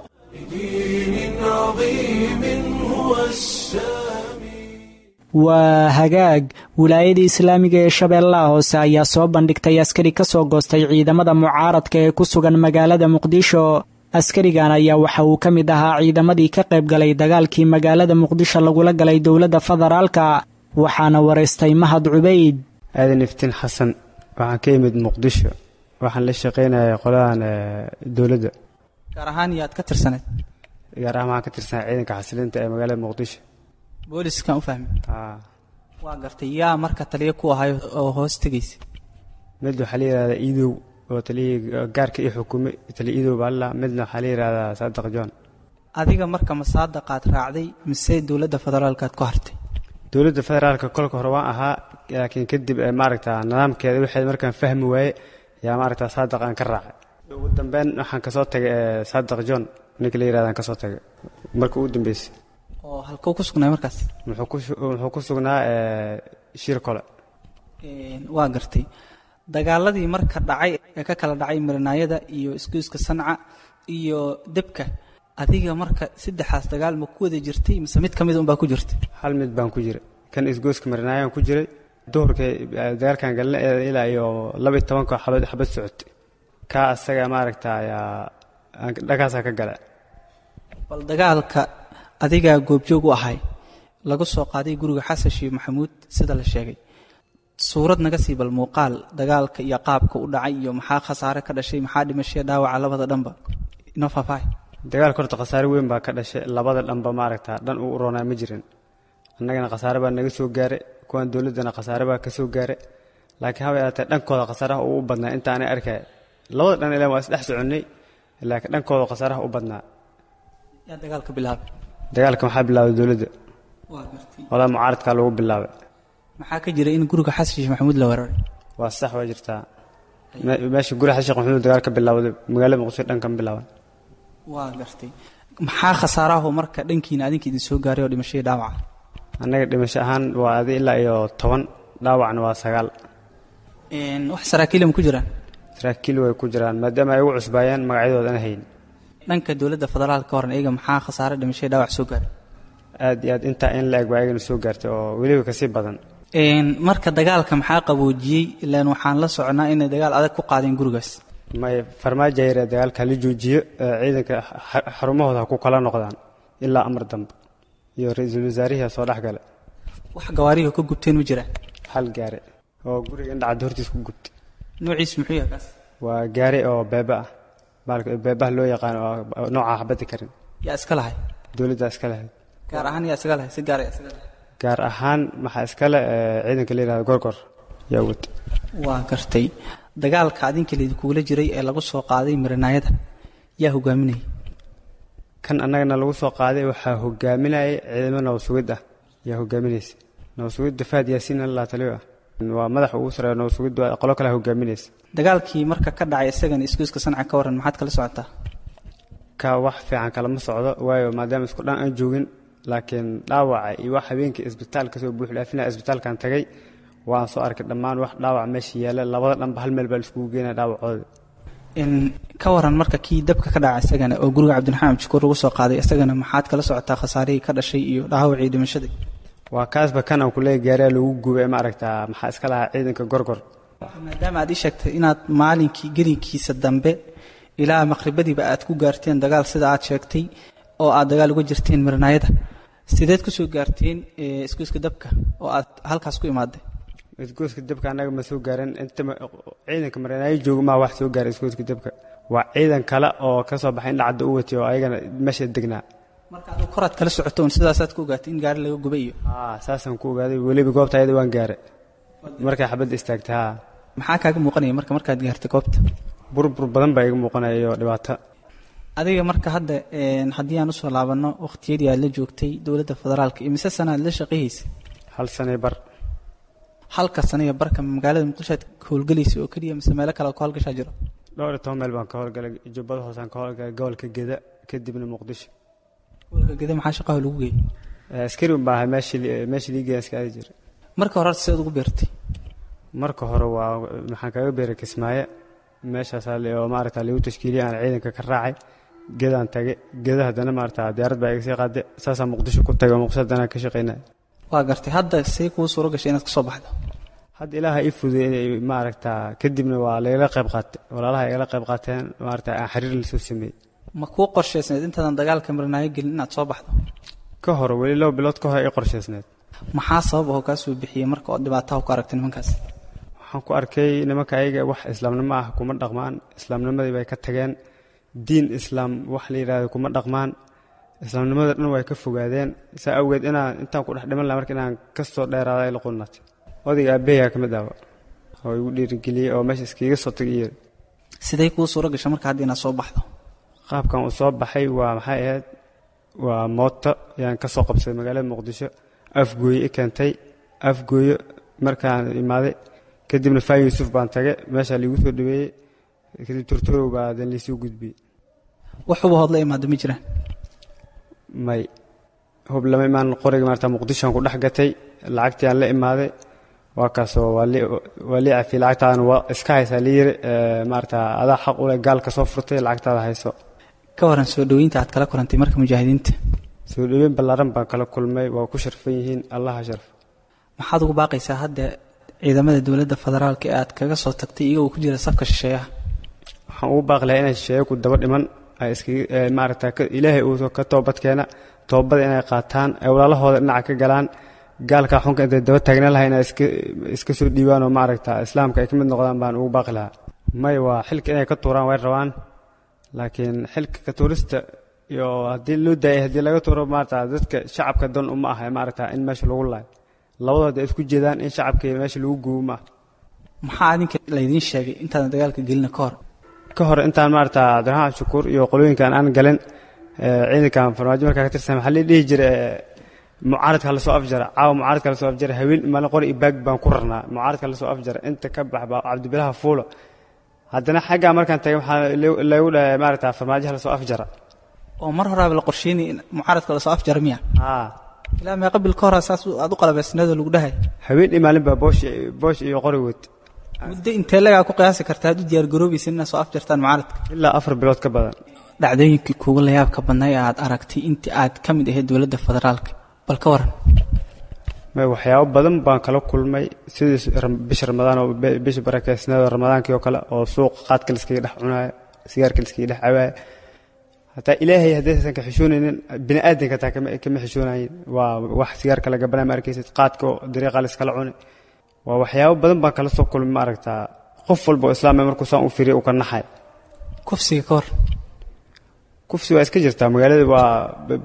B: Waa hagaag. Wilaayada islaamiga ee Shabeellaha Hoose ayaa soo bandhigtay askari ka soo goostay ciidamada mucaaradka ee ku sugan magaalada Muqdisho. Askarigan ayaa waxa uu ka mid ahaa ciidamadii ka qayb galay dagaalkii magaalada Muqdisho lagula galay dowladda federaalka, waxaana waraystay Mahad Cubayd.
O: Aadan Iftiin Xasan, waxaan ka imid Muqdisho, waxaan la shaqaynayay qoladan dowladda.
P: Gaar ahaan yaad ka tirsaneed?
O: Gaar ahaan waxaan ka tirsanay ciidanka xasilinta ee magaalada Muqdisho.
P: Booliskan u fahmay. Waa gartay. Yaa marka taliyo ku ahay oo hoos tegaysa?
O: Mid waxaa la yidhahdaa Iidow oo taliyihii gaarka ii xukumay, taliya Iidow baa la, midna waxaa la yidhahdaa Saadiq John.
P: Adiga marka ma Saadaqaad raacday mise dowladda federaalkaad ku hartay?
O: Dowladda federaalka kolka hore waan ahaa, laakiin kadib maaragta nidaamkeeda waxay markaan fahmi waaye yaa maaragta Saadiq aan ka raacay. Ugu dambeyn waxaan kasoo tagay Saadiq John ninka la yidhahda aan kasoo tagay marka ugu dambeysay.
P: Oo halkuu ku sugnaa markaas?
O: Wuxuu ku sugnaa shir kole.
P: Waa gartay. Dagaaladii marka dhacay ee ka kala dhacay Marinaayada iyo isgoyska Sanca iyo Debka, adiga marka saddexaas dagaal ma ku wada jirtay mise mid ka mid unbaa ku jirtay?
O: Hal mid baan ku jiray, kan isgoyska Marinaayaan ku jiray, Duhurkii dagaalkan galnay ilaa iyo laba iyo tobanka xabad xabad socotay. Kaa asaga maaragta ayaa dhagaasaa ka gala.
P: Bal dagaalka adigaa goobjoog u ahay lagu soo qaaday guriga Xasan Sheekh Maxamuud sida la sheegay, suurad naga sii bal muuqaal dagaalka iyo qaabka u dhacay iyo maxaa khasaare ka dhashay, maxaa dhimashay dhaawaca labada dhanba inoo faahfaahi.
O: Dagaalka horta khasaare weyn baa ka dhashay labada dhanba, maaragta dhan uu u roonaa ma jirin. Annagana khasaare baa naga soo gaaray, kuwan dowladdana khasaare baa ka soo gaaray, laakiin haba yaraatee dhankooda khasaaraha uu u badnaa inta aanay arkay. Labada dhan ilaan waa isdhex soconnay, laakiin dhankooda khasaaraha u badnaa.
P: Yaa dagaalka bilaabay?
O: Dagaalka waxaa bilaabay dowladda.
P: Waa gartay.
O: Walaa mucaaradkaa lagu bilaabay.
P: Maxaa ka jira in guriga Xasan Sheekh Maxamuud la weeraray?
O: Waa sax, waa jirtaa. Meesha guriga Xasan Sheekh Maxamuud dagaal ka bilaawday magaalada Muqdisho dhan kan bilaaban.
P: Waa gartay. Maxaa khasaarahu marka dhankiina adinka idin soo gaaray oo dhimashadii dhaawaca?
O: Annaga dhimasho ahaan waa adi ilaa iyo toban, dhaawacna waa sagaal.
P: Wax saraakiil ma ku jiraan?
O: Saraakiil way ku jiraan, maadaama ay ugu cusbaayeen magacyadooda ana hayn.
P: Dhanka dowladda federaalka horan iyaga maxaa khasaare dhimashadii dhaawac soo gaaray?
O: Aad iyo aad intaa in la eg baa ayagana soo gaartay oo weliba kasii badan.
P: Marka dagaalka maxaa qaboojiyey? Ilaan waxaan la soconaa inay dagaal adag ku qaadeen gurigaas.
O: May farmaajo yaree dagaalka hala joojiyo, ciidanka xarumahooda ha ku kala noqdaan ilaa amar dambe, iyo ra-iisul wasaarihii soo dhex gala.
P: Wax gawaarihi ka gubteen ma jiraan?
O: Hal gaari oo guriga indhacad hortiis ku gubtay.
P: Noociisu muxuu yahay kaas?
O: Waa gaari oo beeba ah, baalka beebaha loo yaqaano oo nooca xabadda karin.
P: Yaa iska lahay?
O: Dowladda iska lahayd.
P: Gaar ahaan yaa iska lahay? Si gaar yaa iska lahay?
O: Gaar ahaan maxaa iskale ciidanka la yidhahdo Gorgor yaa wata.
P: Waa gartay. Dagaalka adinka laydinkugula jiray ee lagu soo qaaday marinaayada yaa hogaaminayay?
O: Kan annagana lagu soo qaaday waxaa hogaaminayay ciidamo nabad sugid ah yaa hogaaminaysa. Nabad sugidda Fahad Yaasiin alla taliyo ah waa madaxa ugu sareeya nabad sugidda, qolo kale hogaaminaysa.
P: Dagaalkii marka ka dhacay isagana isgoyska Sanca ka waran, maxaad kala socotaa?
O: Ka wax fiican kalama socdo, waayo maadaama isku dhan aan joogin, laakiin dhaawaca iyo wax habeenkii isbitaalka soo buux dhaafinaya isbitaalkan tagay waan soo arkay dhammaan wax dhaawac meesha yaalla. Labada dhanba hal meel baa laiskugu geenaya dhaawacooda.
P: Ka waran marka kii dabka ka dhacay isagana oo guriga Cabdiraxmaan Cabdishakuur lagu soo qaaday isagana maxaad kala socotaa khasaarihii ka dhashay iyo dhaawacii dhimashadii?
O: Waa kaasba kan aan kuleeyahay gaariyaa lagu gubay, maaragtaa maxaa iska lahaa ciidanka Gorgor.
P: Maadaama aad ii sheegtay inaad maalinkii gelinkiisa dambe ilaa maqribadiiba aad ku gaarteen dagaal sida aad sheegtay oo aad dagaal uga jirteen marinaayada, sideed ku soo gaarteen isgoyska dabka oo aad halkaas ku imaaday?
O: Isgoyska dabka annaga ma soo gaarin. Inta ciidanka marinaayo jooga maa wax soo gaaray isgoyska dabka, waa ciidan kale oo ka soo baxay indhacadda u watay oo ayagana meesha degnaa.
P: Marka adigu koraad kala socoto un sidaasaad ku ogaatay in gaari laga gubay iyo?
O: Haa, saasaan ku ogaaday. Weliba goobta ayada waan gaaray markay xabadda istaagtay. Haa.
P: Maxaa kaaga muuqanaya marka markaad gaartay goobta?
O: Burbur badan baa iga muuqanaya iyo dhibaato.
P: Adiga marka hadda haddii aan usoo laabanno waqtiyadii aad la joogtay dowladda federaalka, imise sana aad la shaqayhaysay?
O: Hal sanay bar.
P: Halka sanaya barka magaalada Muqdisho aad howlgelaysa oo keliya mise meelo kale oo ka howlgashaa jiro?
O: Dhowr iyo toban meel baan ka howlgalay. Jubbada hoosaan ka howlgalay, gobolka Geda, kadibna Muqdisho.
P: Gobolka Geda maxaa shaqaha lagu geeyey?
O: Askari un baa ahay, meeshii meeshii liigeeya iska aadi jiray.
P: Marka hore sideed ugu beertay?
O: Marka hore waa maxaan kaga beeray Kismaayo, meeshaasaa oo maaragta lagu tashkiiliyay aan ciidanka ka raacay. Gedaan tagay, Geda haddana maaragta diyaarad baa iga sii qaaday, saasaa Muqdisho ku tagay oo Muqdisho haddana ka shaqaynaya.
P: Waa gartay. Hadda see kuu suuro gashay inaad kasoo baxdo?
O: Hadda ilaaha ii fududeeyey maaragta, kadibna waa lagala qayb qaatay, walaalaha igala qayb qaateen maaragta aan xiriir lasoo sameeyey.
P: Ma kuu qorshaysneed intaadan dagaalka marinaayo gelin inaad soo baxdo?
O: Ka hor weli laba bilood ka hor ii qorshaysneed.
P: Maxaa sabab oo kaa soo bixiyey marka oo dhibaataha ku aragtay nimankaas?
O: Waxaan ku arkay nimanka ayaga wax islaamnimo ah kuma dhaqmaan, islaamnimadii bay ka tageen, diin islaam wax la yidhaahdo kuma dhaqmaan, islaamnimada dhan way ka fogaadeen. Saa awgeed inaan intaan ku dhex dhiman lahaa marka inaan kasoo dheeraada ay la qulnaatay. Odayga aabbaheyaa ka mid ahba oo igu dhiirigeliyey oo meesha iskaga soo tagay iyo.
P: Sidee kuu suuro gashay marka hadda inaad soo baxdo?
O: Qaabkan uu soo baxay waa maxay ahayd, waa mooto ayaan ka soo qabsaday magaalada Muqdisho, Afgooye i keentay. Afgooye markaan imaaday kadibna Faa Yuusuf baan tagay, meeshaa liigu soo dhaweeyey, kadib Turturow baa hadan liisoo gudbiyey.
P: Wax huba hood la imaado ma jiraan?
O: May, hub lama imaan. Qoriga maarata Muqdishoan ku dhex gatay, lacagtii aan la imaaday waa kaasoo waa lii cafiyey. Lacagtaadana waa iska haysaa lii yiri, maarata adaa xaq u leh, gaalka soo furtay, lacagtaada hayso.
P: Ka waran soo dhoweynta aad kala kulantay marka mujaahidiinta?
O: Soo dhoweyn ballaaran baan kala kulmay, waa ku sharfan yihiin, allaha sharf.
P: Maxaad ugu baaqaysaa hadda Ciidamada dowladda federaalka ee aad kaga soo tagtay iyagoo ku jira safka shisheeyaha?
O: Waxaan ugu baaqi lahaa inay shisheeye ku daba dhiman, ay iskaga maaragta Ilaahay uu ka toobadkeena, toobada inay qaataan, ay walaalahooda dhinaca ka galaan, gaalka xunka intay daba taagnaan lahaa inay iska iska soo dhiibaan oo maaragta islaamka ay ka mid noqdaan baan ugu baaqi lahaa. May, waa xilka inay ka tuuraan way rabaan, laakiin xilka ka tuurista iyo haddii loo daayay, haddii laga tuuro, maaragta dadka shacabka dan uma aha maaragta in meesha lagu laayo. Labadood ay isku jeedaan in shacabka meesha lagu gubo ma aha.
P: Maxaa adinka laydiin sheegay intaadan dagaalka gelina ka hor?
O: Ka hor intaan maaragta Cabdiraxmaan Shukuur iyo qolooyinkan aan galin ciidankan Farmaajo markaa ka tirsan, waxaa la dhihi jiray mucaaradka lasoo afjara caawa, mucaaradka lasoo afjara. Haween maalin qori iyo baag baan ku rarnaa, mucaaradka lasoo afjara, inta ka bax baa Cabdibilaha fuula. Haddana xaggaa markaan tagay waxaa lagu dhahay maaragta Farmaajaha lasoo afjara.
P: Oo mar horaaba la qorsheynay in mucaaradka lasoo afjara miya?
O: Haa.
P: Ilaa meeqa bil ka horaa saas aad u qalabaysneedoo lagu dhahay?
O: Haween iyo maalin baa boosh boosh iyo qori wad.
P: Muddo intee lagaa ku qiyaasi kartaa aad u diyaar garoobaysa inaad soo afjartaan mucaaradka?
O: Ilaa afar bilood ka badan.
P: Dhacdooyinkii kuugu layaabka badnaa ee aad aragtay intii aad ka mid ahayd dowladda federaalka, bal ka waran?
O: May, waxyaabo badan baan kala kulmay, sidii bisha Ramadaan oo bisha barakeysneed oo Ramadaankii oo kale oo suuqa qaadka la iskaga dhex cunaayo, sigaarka la iskaga dhex cabaayo. Hataa Ilaahay haddaysan ka xishoonaynin, bini aadanka hataa kama kama xishoonayin. Waa wax sigaarka laga banaa ma arkaysid, qaadka oo dariiqa la iskala cunay. Waa waxyaabo badan baan kala soo kulmay, ma aragtaa, qof walba oo islaam markuu saan u fiiriyo uu ka naxay.
P: Kufsiga ka hor?
O: Kufsi waa iska jirtaa magaalada, waa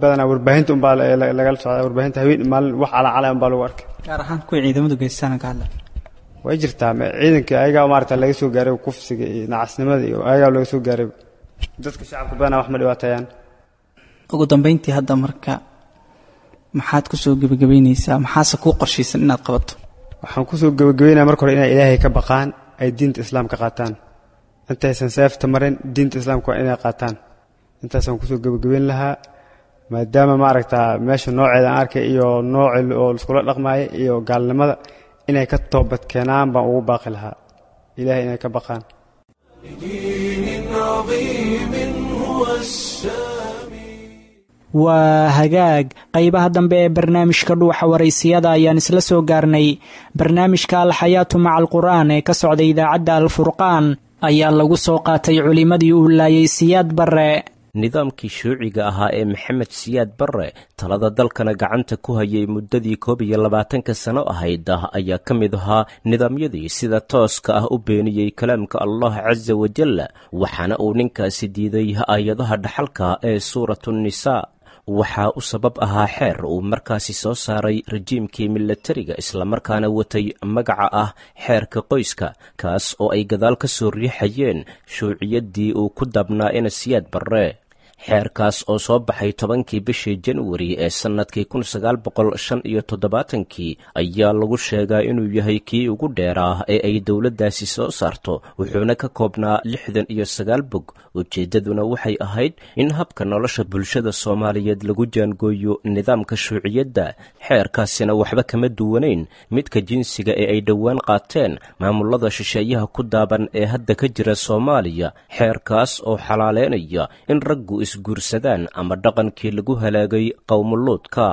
O: badanaa warbaahinta unbaa lagala socdaa, warbaahinta haween maalin wax calacalay unbaa lagu arkay.
P: Gaar ahaan kuwii ciidamadu geystaan ka hadla.
O: Way jirtaa, ciidanka ayagaa maaragta laga soo gaaray kufsiga iyo nacasnimada iyo ayagaa laga soo gaaray. Dadka shacabka badanaa wax ma dhibaateeyaan.
P: Ugu dambeyntii hadda marka maxaad kusoo gebagabeyneysaa, maxaase kuu qorshaysan inaad qabato?
O: Waxaan kusoo gebagabeynaya marka hore inay Ilaahay ka baqaan, ay diinta islaamka qaataan intaysan seefta marin. Diinta islaamka waa inay qaataan, intaasaan kusoo gebagabeyn lahaa, maadaama maaragta meesha nooceeda aan arkay iyo noocii oo laiskula dhaqmaaya iyo gaalnimada inay ka toobad keenaan baan ugu baaqi lahaa, Ilahay inay ka baqaan.
K: لدين عظيم هو السامي.
B: Waa hagaag, qaybaha dambe ee barnaamijka Dhuuxa Waraysiyada ayaan isla soo gaarnay. Barnaamijka Alxayaatu maca Alqur'aan ee ka socda idaacadda Alfurqaan ayaa lagu soo qaatay culimmadii uu laayay Siyaad Barre.
Q: Nidaamkii shuuciga ahaa ee Maxamed Siyaad Barre talada dalkana gacanta ku hayay muddadii koob iyo labaatanka sano ahayd ayaa ka mid ahaa nidaamyadii sida tooska ah u beeniyey kalaamka Allah casa wajal, waxaana uu ninkaasi diiday aayadaha dhaxalka ee Suuratu Nisaa. Waxaa u sabab ahaa xeer uu markaasi soo saaray rajiimkii milatariga, islamarkaana watay magaca ah xeerka qoyska, kaas oo ay gadaal ka soo riixayeen shuuciyaddii uu ku dabnaa ina Siyaad Barre. Xeerkaas oo soo baxay tobankii bishii Januari ee sannadkii kun sagaal boqol shan iyo toddobaatankii ayaa lagu sheegaa inuu yahay kii ugu dheeraa ee ay dowladdaasi soo saarto, wuxuuna ka koobnaa lixdan iyo sagaal bog. Ujeeddaduna waxay ahayd in habka nolosha bulshada Soomaaliyeed lagu jaangooyo nidaamka shuuciyadda. Xeerkaasina waxba kama duwanayn midka jinsiga ee ay dhowaan qaateen maamulada shisheeyaha ku daaban ee hadda ka jira Soomaaliya, xeerkaas oo xalaaleynaya in raggu isguursadaan ama dhaqankii lagu halaagay qowmuluudka.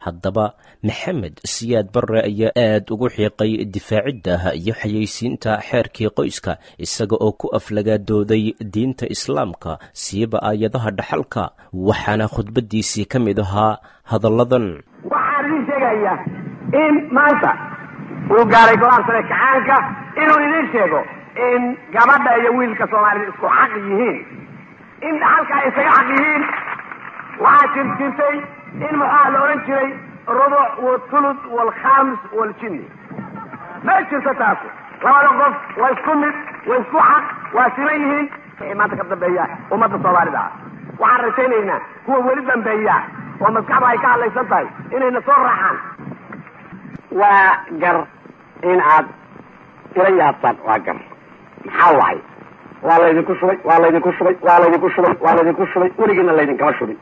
Q: Haddaba Maxamed Siyaad Barre ayaa aad ugu xiiqay difaacidda iyo xayeysiinta xeerkii qoyska, isaga oo ku aflagaadooday diinta islaamka, siiba aayadaha dhaxalka, waxaana khudbaddiisii ka mid ahaa hadalladan:
R: Waxaan idiin sheegayaa in maanta uu gaaray golaha sare kacaanka inuu idiin sheego in gabadha iyo wiilka Soomaalida isku xaq yihiin, in dhaxalka ay isaga xaq yihiin. Waxaa jir jirtay in maxaa la odhan jiray rubuc wathuluth waalkhams waljinni. Ma jirto taasu. Labada qof waa isku mid, waa isku xaq, waa siman yihiin. Wixii maanta ka dambeeya ummadda Soomaalida ah, waxaan rajaynaynaa kuwa weli dambeeya oo maskaxda ay ka hadlaysan tahay inayna soo raacaan. Waa gar in aad ila yaabtaan, waa gar. Maxaa wacay? Waa laydinku shubay, waa laydinku shubay, waa laydinku shubay, waa laydinku shubay, weligiina laydinkama shubin.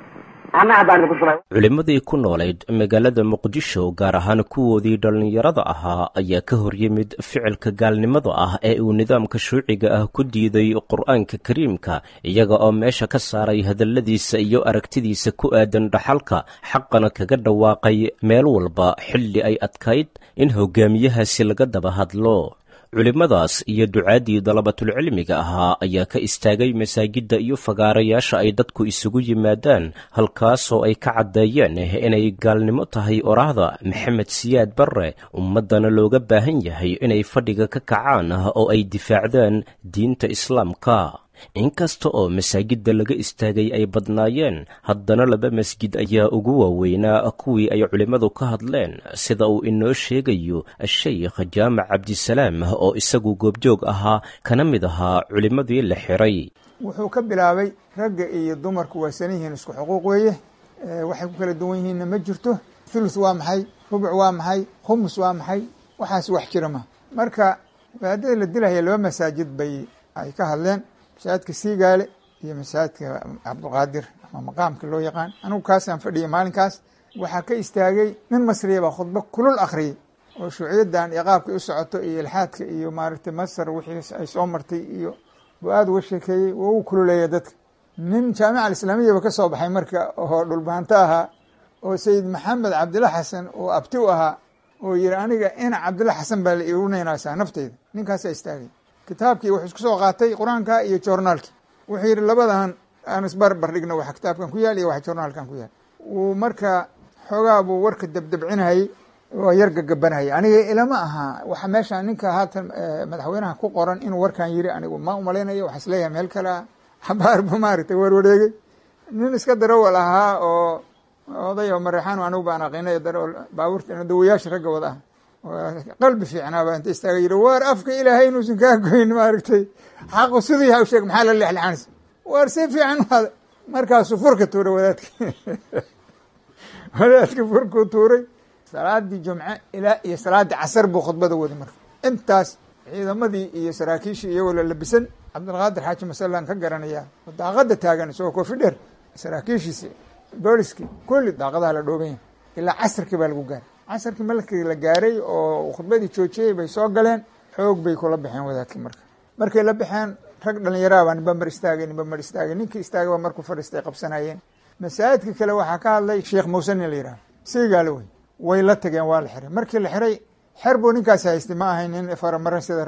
R: Anna haddaan idinku shubay.
Q: Culimmadii ku noolayd magaalada Muqdisho, gaar ahaan kuwoodii dhallinyarada ahaa, ayaa ka horyimid ficilka gaalnimada ah ee uu nidaamka shuuciga ah ku diiday Qur'aanka Kariimka, iyaga oo meesha ka saaray hadalladiisa iyo aragtidiisa ku aadan dhaxalka, xaqana kaga dhawaaqay meel walba xilli ay adkayd in hogaamiyahaasi laga daba hadlo. Culimmadaas iyo ducaaddii dalabatulcilmiga ahaa ayaa ka istaagay masaajidda iyo fagaarayaasha ay dadku isugu yimaadaan, halkaasoo ay ka caddeeyeen inay gaalnimo tahay oraahda Maxamed Siyaad Barre, ummaddana looga baahan yahay inay fadhiga ka kacaan oo ay difaacdaan diinta Islaamka. Inkasta oo masaajidda laga istaagay ay badnaayeen, haddana laba masjid ayaa ugu waaweynaa kuwii ay culimmadu ka hadleen, sida uu inoo sheegayo Sheikh Jaamac Cabdisalaam oo isagu goobjoog ahaa kana mid ahaa culimmadii la xiray.
S: Wuxuu ka bilaabay ragga iyo dumarku waa san yihiin, isku xuquuq weeye, waxay ku kala duwan yihiinna ma jirto. Thuluth waa maxay? Rubuc waa maxay? Khumus waa maxay? Waxaas wax jira ma. Marka wadaadada la dilahaya laba masaajid bay ay ka hadleen, masaajidka Siigaale iyo masaajidka Cabdulqaadir ama maqaamka loo yaqaan. Anigu kaasaan fadhiyay maalinkaas. Waxaa ka istaagay nin Masriya baa khudbo kulul akhriyey oo shuuciyadan iyo qaabkay u socoto iyo ilxaadka iyo maaragtay Masar wixii ay soo martay iyo buu aada uga sheekeeyey, wuu u kululeeya dadka. Nin Jaamica Alislaamiyaba ka soo baxay marka oo dhulbahanto ahaa oo Sayid Maxamed Cabdilla Xasan oo abti u ahaa oo yihi aniga ina Cabdilla Xasan baa la iigu naynaysaa nafteyda, ninkaasaa istaagay. Kitaabkii wuxuu isku soo qaatay Qur-aanka iyo joornaalki. Wuxuu yidhi labadan aan isbarbar dhigno, waxa kitaabkan ku yaal iyo waxa joornaalkan ku yaal. Wuu marka xoogaa buu warka dabdabcinayay oo yar gagabanayay. Aniga ilama aha waxa meesha ninka haatan madaxweynaha ku qoran inuu warkan yiri, anigu ma umalaynayo, waxa isleeyahay meel kale ah. Xabaar buu maaragtay warwareegay. Nin iska darawal ahaa oo oday oo Mareexaan anigu baan aqinay, darawal baabuurta dawayaasha ragga wada ah, qalbi fiicnaaba inta istaaga yidhi waar afka Ilaahay inuusan kaa goyn, maaragtay xaqu siduu yahay u sheeg, maxaa la leexleexanaysa, waar si fiican waada. Markaasuu furka tuuray wadaadki, wadaadki furkuu tuuray. Salaadii jumce ilaa iyo salaadii casar buu khudbada waday. Marka intaas ciidamadii iyo saraakiishii iyagoo la labisan, Cabdilqaadir Xaaji Masallaan ka garanayaa oo daaqada taagan isagoo koofi dheer, saraakiishiisi booliskii kulli daaqadaha la dhooban yahay ilaa casarkii baa lagu gaaray. Casarkii markii la gaaray oo khudbadii joojiyey bay soo galeen, xoog bay kula baxeen wadaadkii. Marka markay la baxeen rag dhallinyaraha baa ninba mar istaagay, ninba mar istaagay, ninkii istaagay baa markuu fadhiistay qabsanayeen. Masaajidka kale waxaa ka hadlay Sheekh Muuse nin la yidhahdo, Siigaale wey. Way la tageen, waa la xiray. Markii la xiray xer buu ninkaasi haystay, ma ahayn nin faramaran sida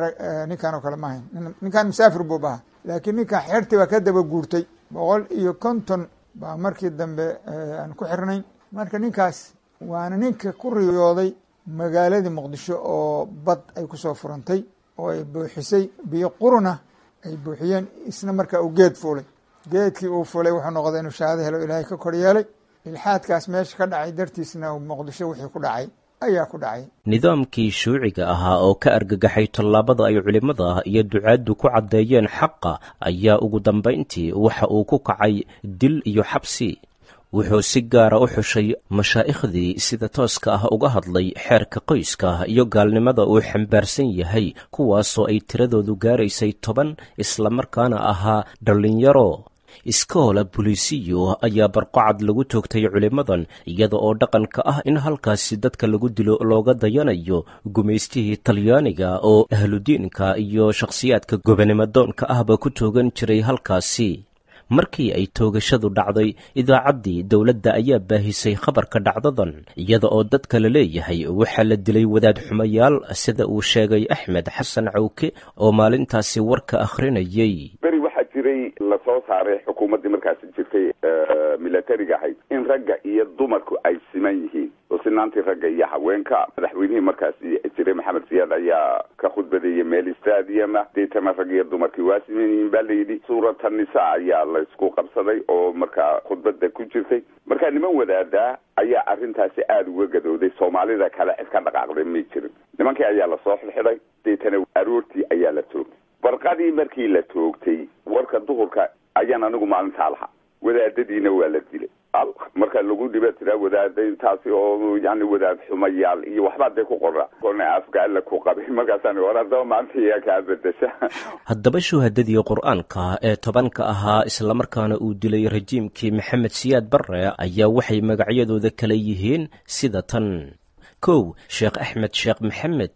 S: ninkan oo kale ma ahayn, ninkan musaafir buu bahaa, laakiin ninkan xertii baa ka daba guurtay. Boqol iyo konton baa markii dambe aan ku xirnayn. Marka ninkaas waana ninka ku riyooday magaaladii Muqdisho oo bad ay kusoo furantay oo ay buuxisay biyo quruna ay buuxiyeen, isna marka uu geed fuulay. Geedkii uu fulay wuxuu noqday inuu shahaado helo, Ilaahay ka kor yeelay. Ilxaadkaas meesha ka dhacay dartiisna Muqdisho wixii ku dhacay ayaa ku dhacay.
Q: Nidaamkii shuuciga ahaa oo ka argagaxay tallaabada ay culimmada iyo ducaaddu ku caddeeyeen xaqa ayaa ugu dambayntii waxa uu ku kacay dil iyo xabsi. Wuxuu si gaara u xushay mashaaikhdii sida tooska ah uga hadlay xeerka qoyska iyo gaalnimada uu xambaarsan yahay, kuwaasoo ay tiradoodu gaaraysay toban, islamarkaana ahaa dhallinyaro. Iskoola bulisiyo ayaa barqacad lagu toogtay culimmadan, iyada oo dhaqanka ah in halkaasi dadka lagu dilo looga dayanayo gumaystihii Talyaaniga oo ahludiinka iyo shakhsiyaadka gobonimadoonka ahba ku toogan jiray halkaasi. Markii ay toogashadu dhacday, idaacaddii dowladda ayaa baahisay khabarka dhacdadan, iyada oo dadka la leeyahay waxaa la dilay wadaad xumayaal, sida uu sheegay Axmed Xasan Cawke oo maalintaasi warka akhrinayay.
T: Beri waxaa jiray lasoo saaray xukuumaddii markaasi jirtay milatariga ahayd in ragga iyo dumarku ay siman yihiin oo sinaantii ragga iyo haweenka. Madaxweynihii markaasi jiray Maxamed Siyaad ayaa ka khudbadeeyey meel stadiuma, deetana rag iyo dumarkii waa siman yihiin baa layidhi. Suurata Nisa ayaa laysku qabsaday oo markaa khudbada ku jirtay. Markaa niman wadaadaa ayaa arrintaasi aada uga gadooday, Soomaalida kale cid ka dhaqaaqday may jirin. Nimankii ayaa lasoo xidxidhay, deetana aroortii ayaa la toogtay. Barqadii markii la toogtay warka duhurka ayaan anigu maalintaa lahaa, wadaadadiina waa la dilay. Marka lagu dhiba tiraa wadaada intaasi oo yani wadaad xumayaal iyo waxbaa dee ku qora korna afka alla ku qabay. Markaasaan war haddaba maanta iyaa kaa bedesha.
Q: Haddaba shuhadadii qur-aanka ee tobanka ahaa islamarkaana uu dilay rajiimkii Maxamed Siyaad Barre ayaa waxay magacyadooda kala yihiin sida tan: kow, Sheekh Axmed Sheekh Maxamed;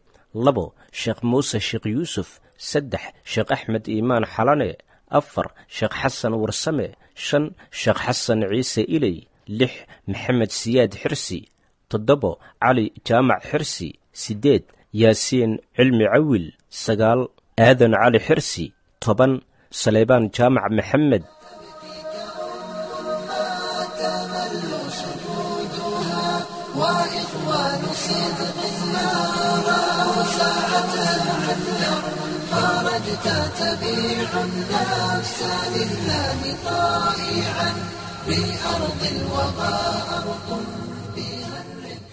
Q: labo, Sheekh Muuse Sheekh Yuusuf; saddex, Sheekh Axmed Iimaan Xalane; afar, Sheekh Xasan Warsame; shan, Sheekh Xasan Ciise Iley; lix, Maxamed Siyaad Xirsi; toddobo, Cali Jaamac Xirsi; siddeed, Yaasiin Cilmi Cawil; sagaal, Aadan Cali Xirsi; toban, Saleybaan Jaamac Maxamed.
F: وإخوان صدق ما رأوا ساعة العدل خرجت تبيع النفس لله طائعا بأرض الوغى أرض بها الربح.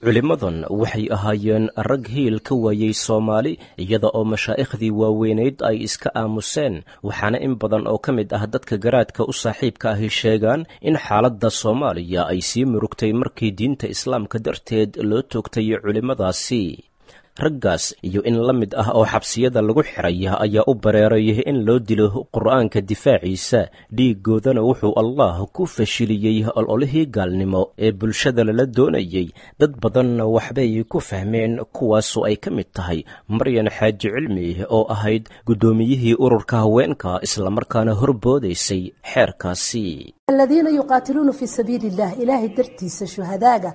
Q: Culimmadan waxay ahaayeen rag hiil ka waayey Soomaali, iyada oo mashaaikhdii waaweynayd ay iska aamuseen. Waxaana in badan oo ka mid ah dadka garaadka u saaxiibka ahi sheegaan in xaaladda Soomaaliya ay sii murugtay markii diinta islaamka darteed loo toogtay culimmadaasi. Raggaas iyo in la mid ah oo xabsiyada lagu xiray ayaa u bareeray in loo dilo qur'aanka difaaciisa, dhiiggoodana wuxuu Allah ku fashiliyey ololihii gaalnimo ee bulshada lala doonayey. Dad badanna waxbay ku fahmeen, kuwaasoo ay ka mid tahay Maryan Xaaji Cilmi oo ahayd guddoomiyihii ururka haweenka islamarkaana horboodaysay xeerkaasi.
U: Aladiina yuqaatiluuna fii sabiili illah, ilaahay dartiisa shuhadaaga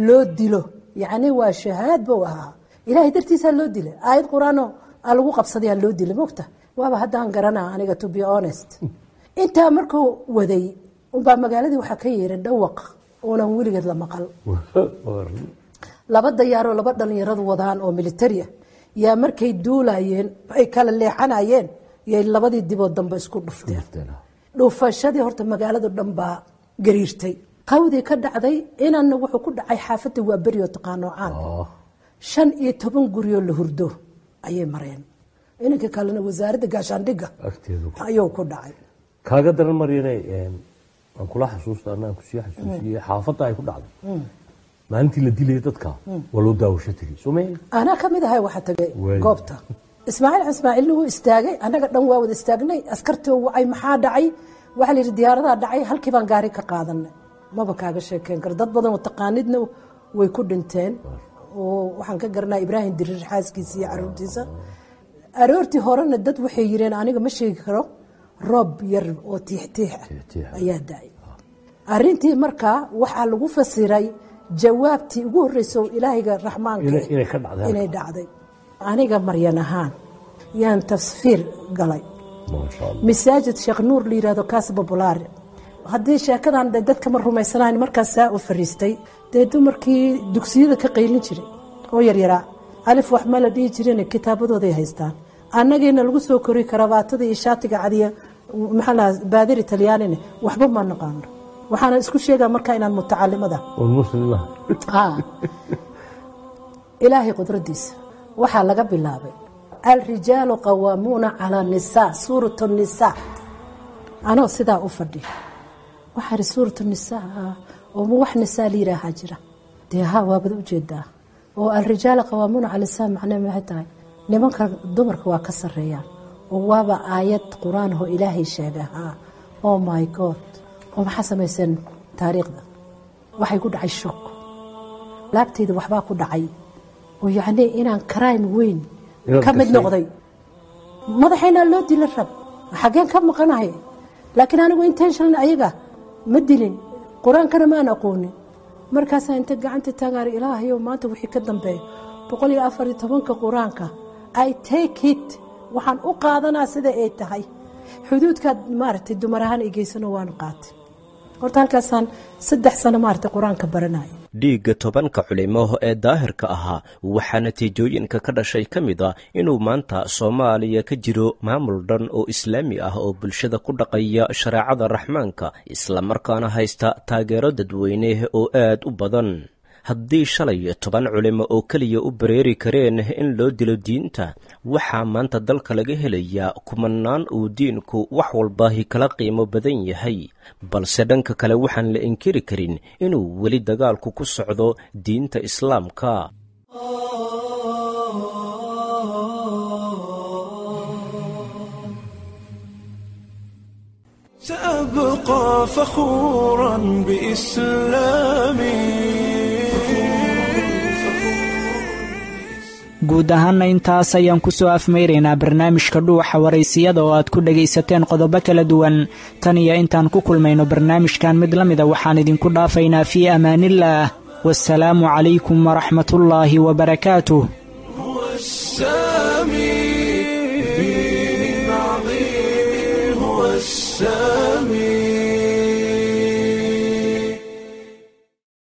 U: loo dilo, yacni waa shahaad buu ahaa, ilaahay dartiisaa loo dilay, aayad qur-aano aa lagu qabsadayaa loo dilay. Mogta waaba haddaan garanaa aniga, to be honest. Intaa markuu waday unbaa magaaladii waxaa ka yeeray dhawaq uunan weligeed la maqal. Laba dayaaroo laba dhalinyaradu wadaan oo militari ah yaa markay duulayeen ay kala leexanayeen yay labadii dibood dambe isku dhufteen. Dhufashadii horta magaaladu dhan baa gariirtay, qawdii ka dhacday inanna wuxuu ku dhacay xaafadda waa berioo taqaanoo caan, shan iyo toban guryoo la hurdo ayay mareen. Inanka kalena wasaaradda gaashaandhigga ayuu ku dhacay.
V: Kaaga daran Maryane, aan kula xasuusta anaan kusii xasuusiyey xaafadda ay ku dhacday maalintii la dilayay dadka waa loo daawasho tegey, soo ma?
U: Anaa ka mid ahay waxaa tagay goobta. Ismaaciil Ismaaciilna wuu istaagay, annaga dhan waa wada istaagnay. Askartoo wacay, maxaa dhacay? Waxaa la yidhi diyaaradaha dhacay. Halkii baan gaari ka qaadanay. Maba kaaga sheekeyn karo, dad badan oo taqaanidna way ku dhinteen, oo waxaan ka garanaa Ibraahim Diriir xaaskiisa iyo caruurtiisa. Aroortii horena dad waxay yireen, aniga ma sheegi karo, roob yar oo tiixtiix ah ayaa da-ay. Arrintii markaa waxaa lagu fasiray jawaabtii ugu horreysa oo ilaahayga raxmaanka inay dhacday. Aniga Maryan ahaan yaan tasfiir galay masaajid Sheekh Nuur la yihahdo kaas bobulaare. Haddii sheekadan dadka ma rumaysanayn, markaas saa u fariistay dee dumarkii dugsiyada ka qaylin jiray oo yaryaraa, alif wax ma la dhihi jirin, kitaabadooday haystaan. Annagiina lagu soo kori karabaatada iyo shaatiga cadiya, maxaa lahaa, baadiri Talyaanine, waxba ma naqaano. Waxaana isku sheegaa markaa inaan mutacalimada. Ilaahay qudradiisa waxaa laga bilaabay alrijaalu qawaamuuna calaa nisaa, suurat nisaa. Anoo sidaa u fadhiya waxaa ihi suurat nisaa oo ma wax nisaa la yihaahaa jira? Dee haa, waabad ujeedaa oo alrijaal qawaamuuna cala nisaa macnee maxay tahay? Nimanka dumarka waa ka sareeyaan, oo waaba aayad qur-aan oo ilaahay sheega. Haa, oh my God, oo maxaa samayseen? Taariikhda waxay ku dhacay shock, laabtayda waxbaa ku dhacay, oo yacnii inaan crime weyn ka mid noqday. Madaxaynaa loo dila rab, xaggeen ka maqanahay? Laakiin anigu intention ayaga ma dilin, qur-aankana maan aqoonin. Markaasaa inta gacanta taagaar, ilaahayow, maanta wixii ka dambeeya boqol iyo afar iyo tobanka qur-aanka I take it, waxaan u qaadanaa sida ay tahay. Xuduudkaad maaragtay dumar ahaan i geysano waan qaatay. Horta halkaasaan saddex sano maaragtay qur-aanka baranaya.
Q: Dhiigga tobanka culimo ee daahirka ahaa waxaa natiijooyinka ka dhashay ka mid a inuu maanta Soomaaliya ka jiro maamul dhan oo islaami ah oo bulshada ku dhaqaya shareecada raxmaanka, islamarkaana haysta taageero dadweyne oo aad u badan. Haddii shalay toban culimo oo keliya u bareeri kareen in loo dilo diinta, waxaa maanta dalka laga helayaa kumanaan uu diinku wax walbaahi kala qiimo badan yahay. Balse dhanka kale waxaan la inkiri karin inuu weli dagaalku ku socdo diinta islaamka.
K: سأبقى فخورا بإسلامي.
B: Guud ahaana intaas ayaan ku soo afmeyraynaa barnaamijka Dhuuxa Waraysiyada oo aad ku dhagaysateen qodobo kala duwan. Tan iyo intaan ku kulmayno barnaamijkan mid la mida, waxaan idinku dhaafaynaa fii amaanillaah. Wasalaamu calaykum waraxmatullaahi wabarakaatuh.
K: السامي دين عظيم هو السامي.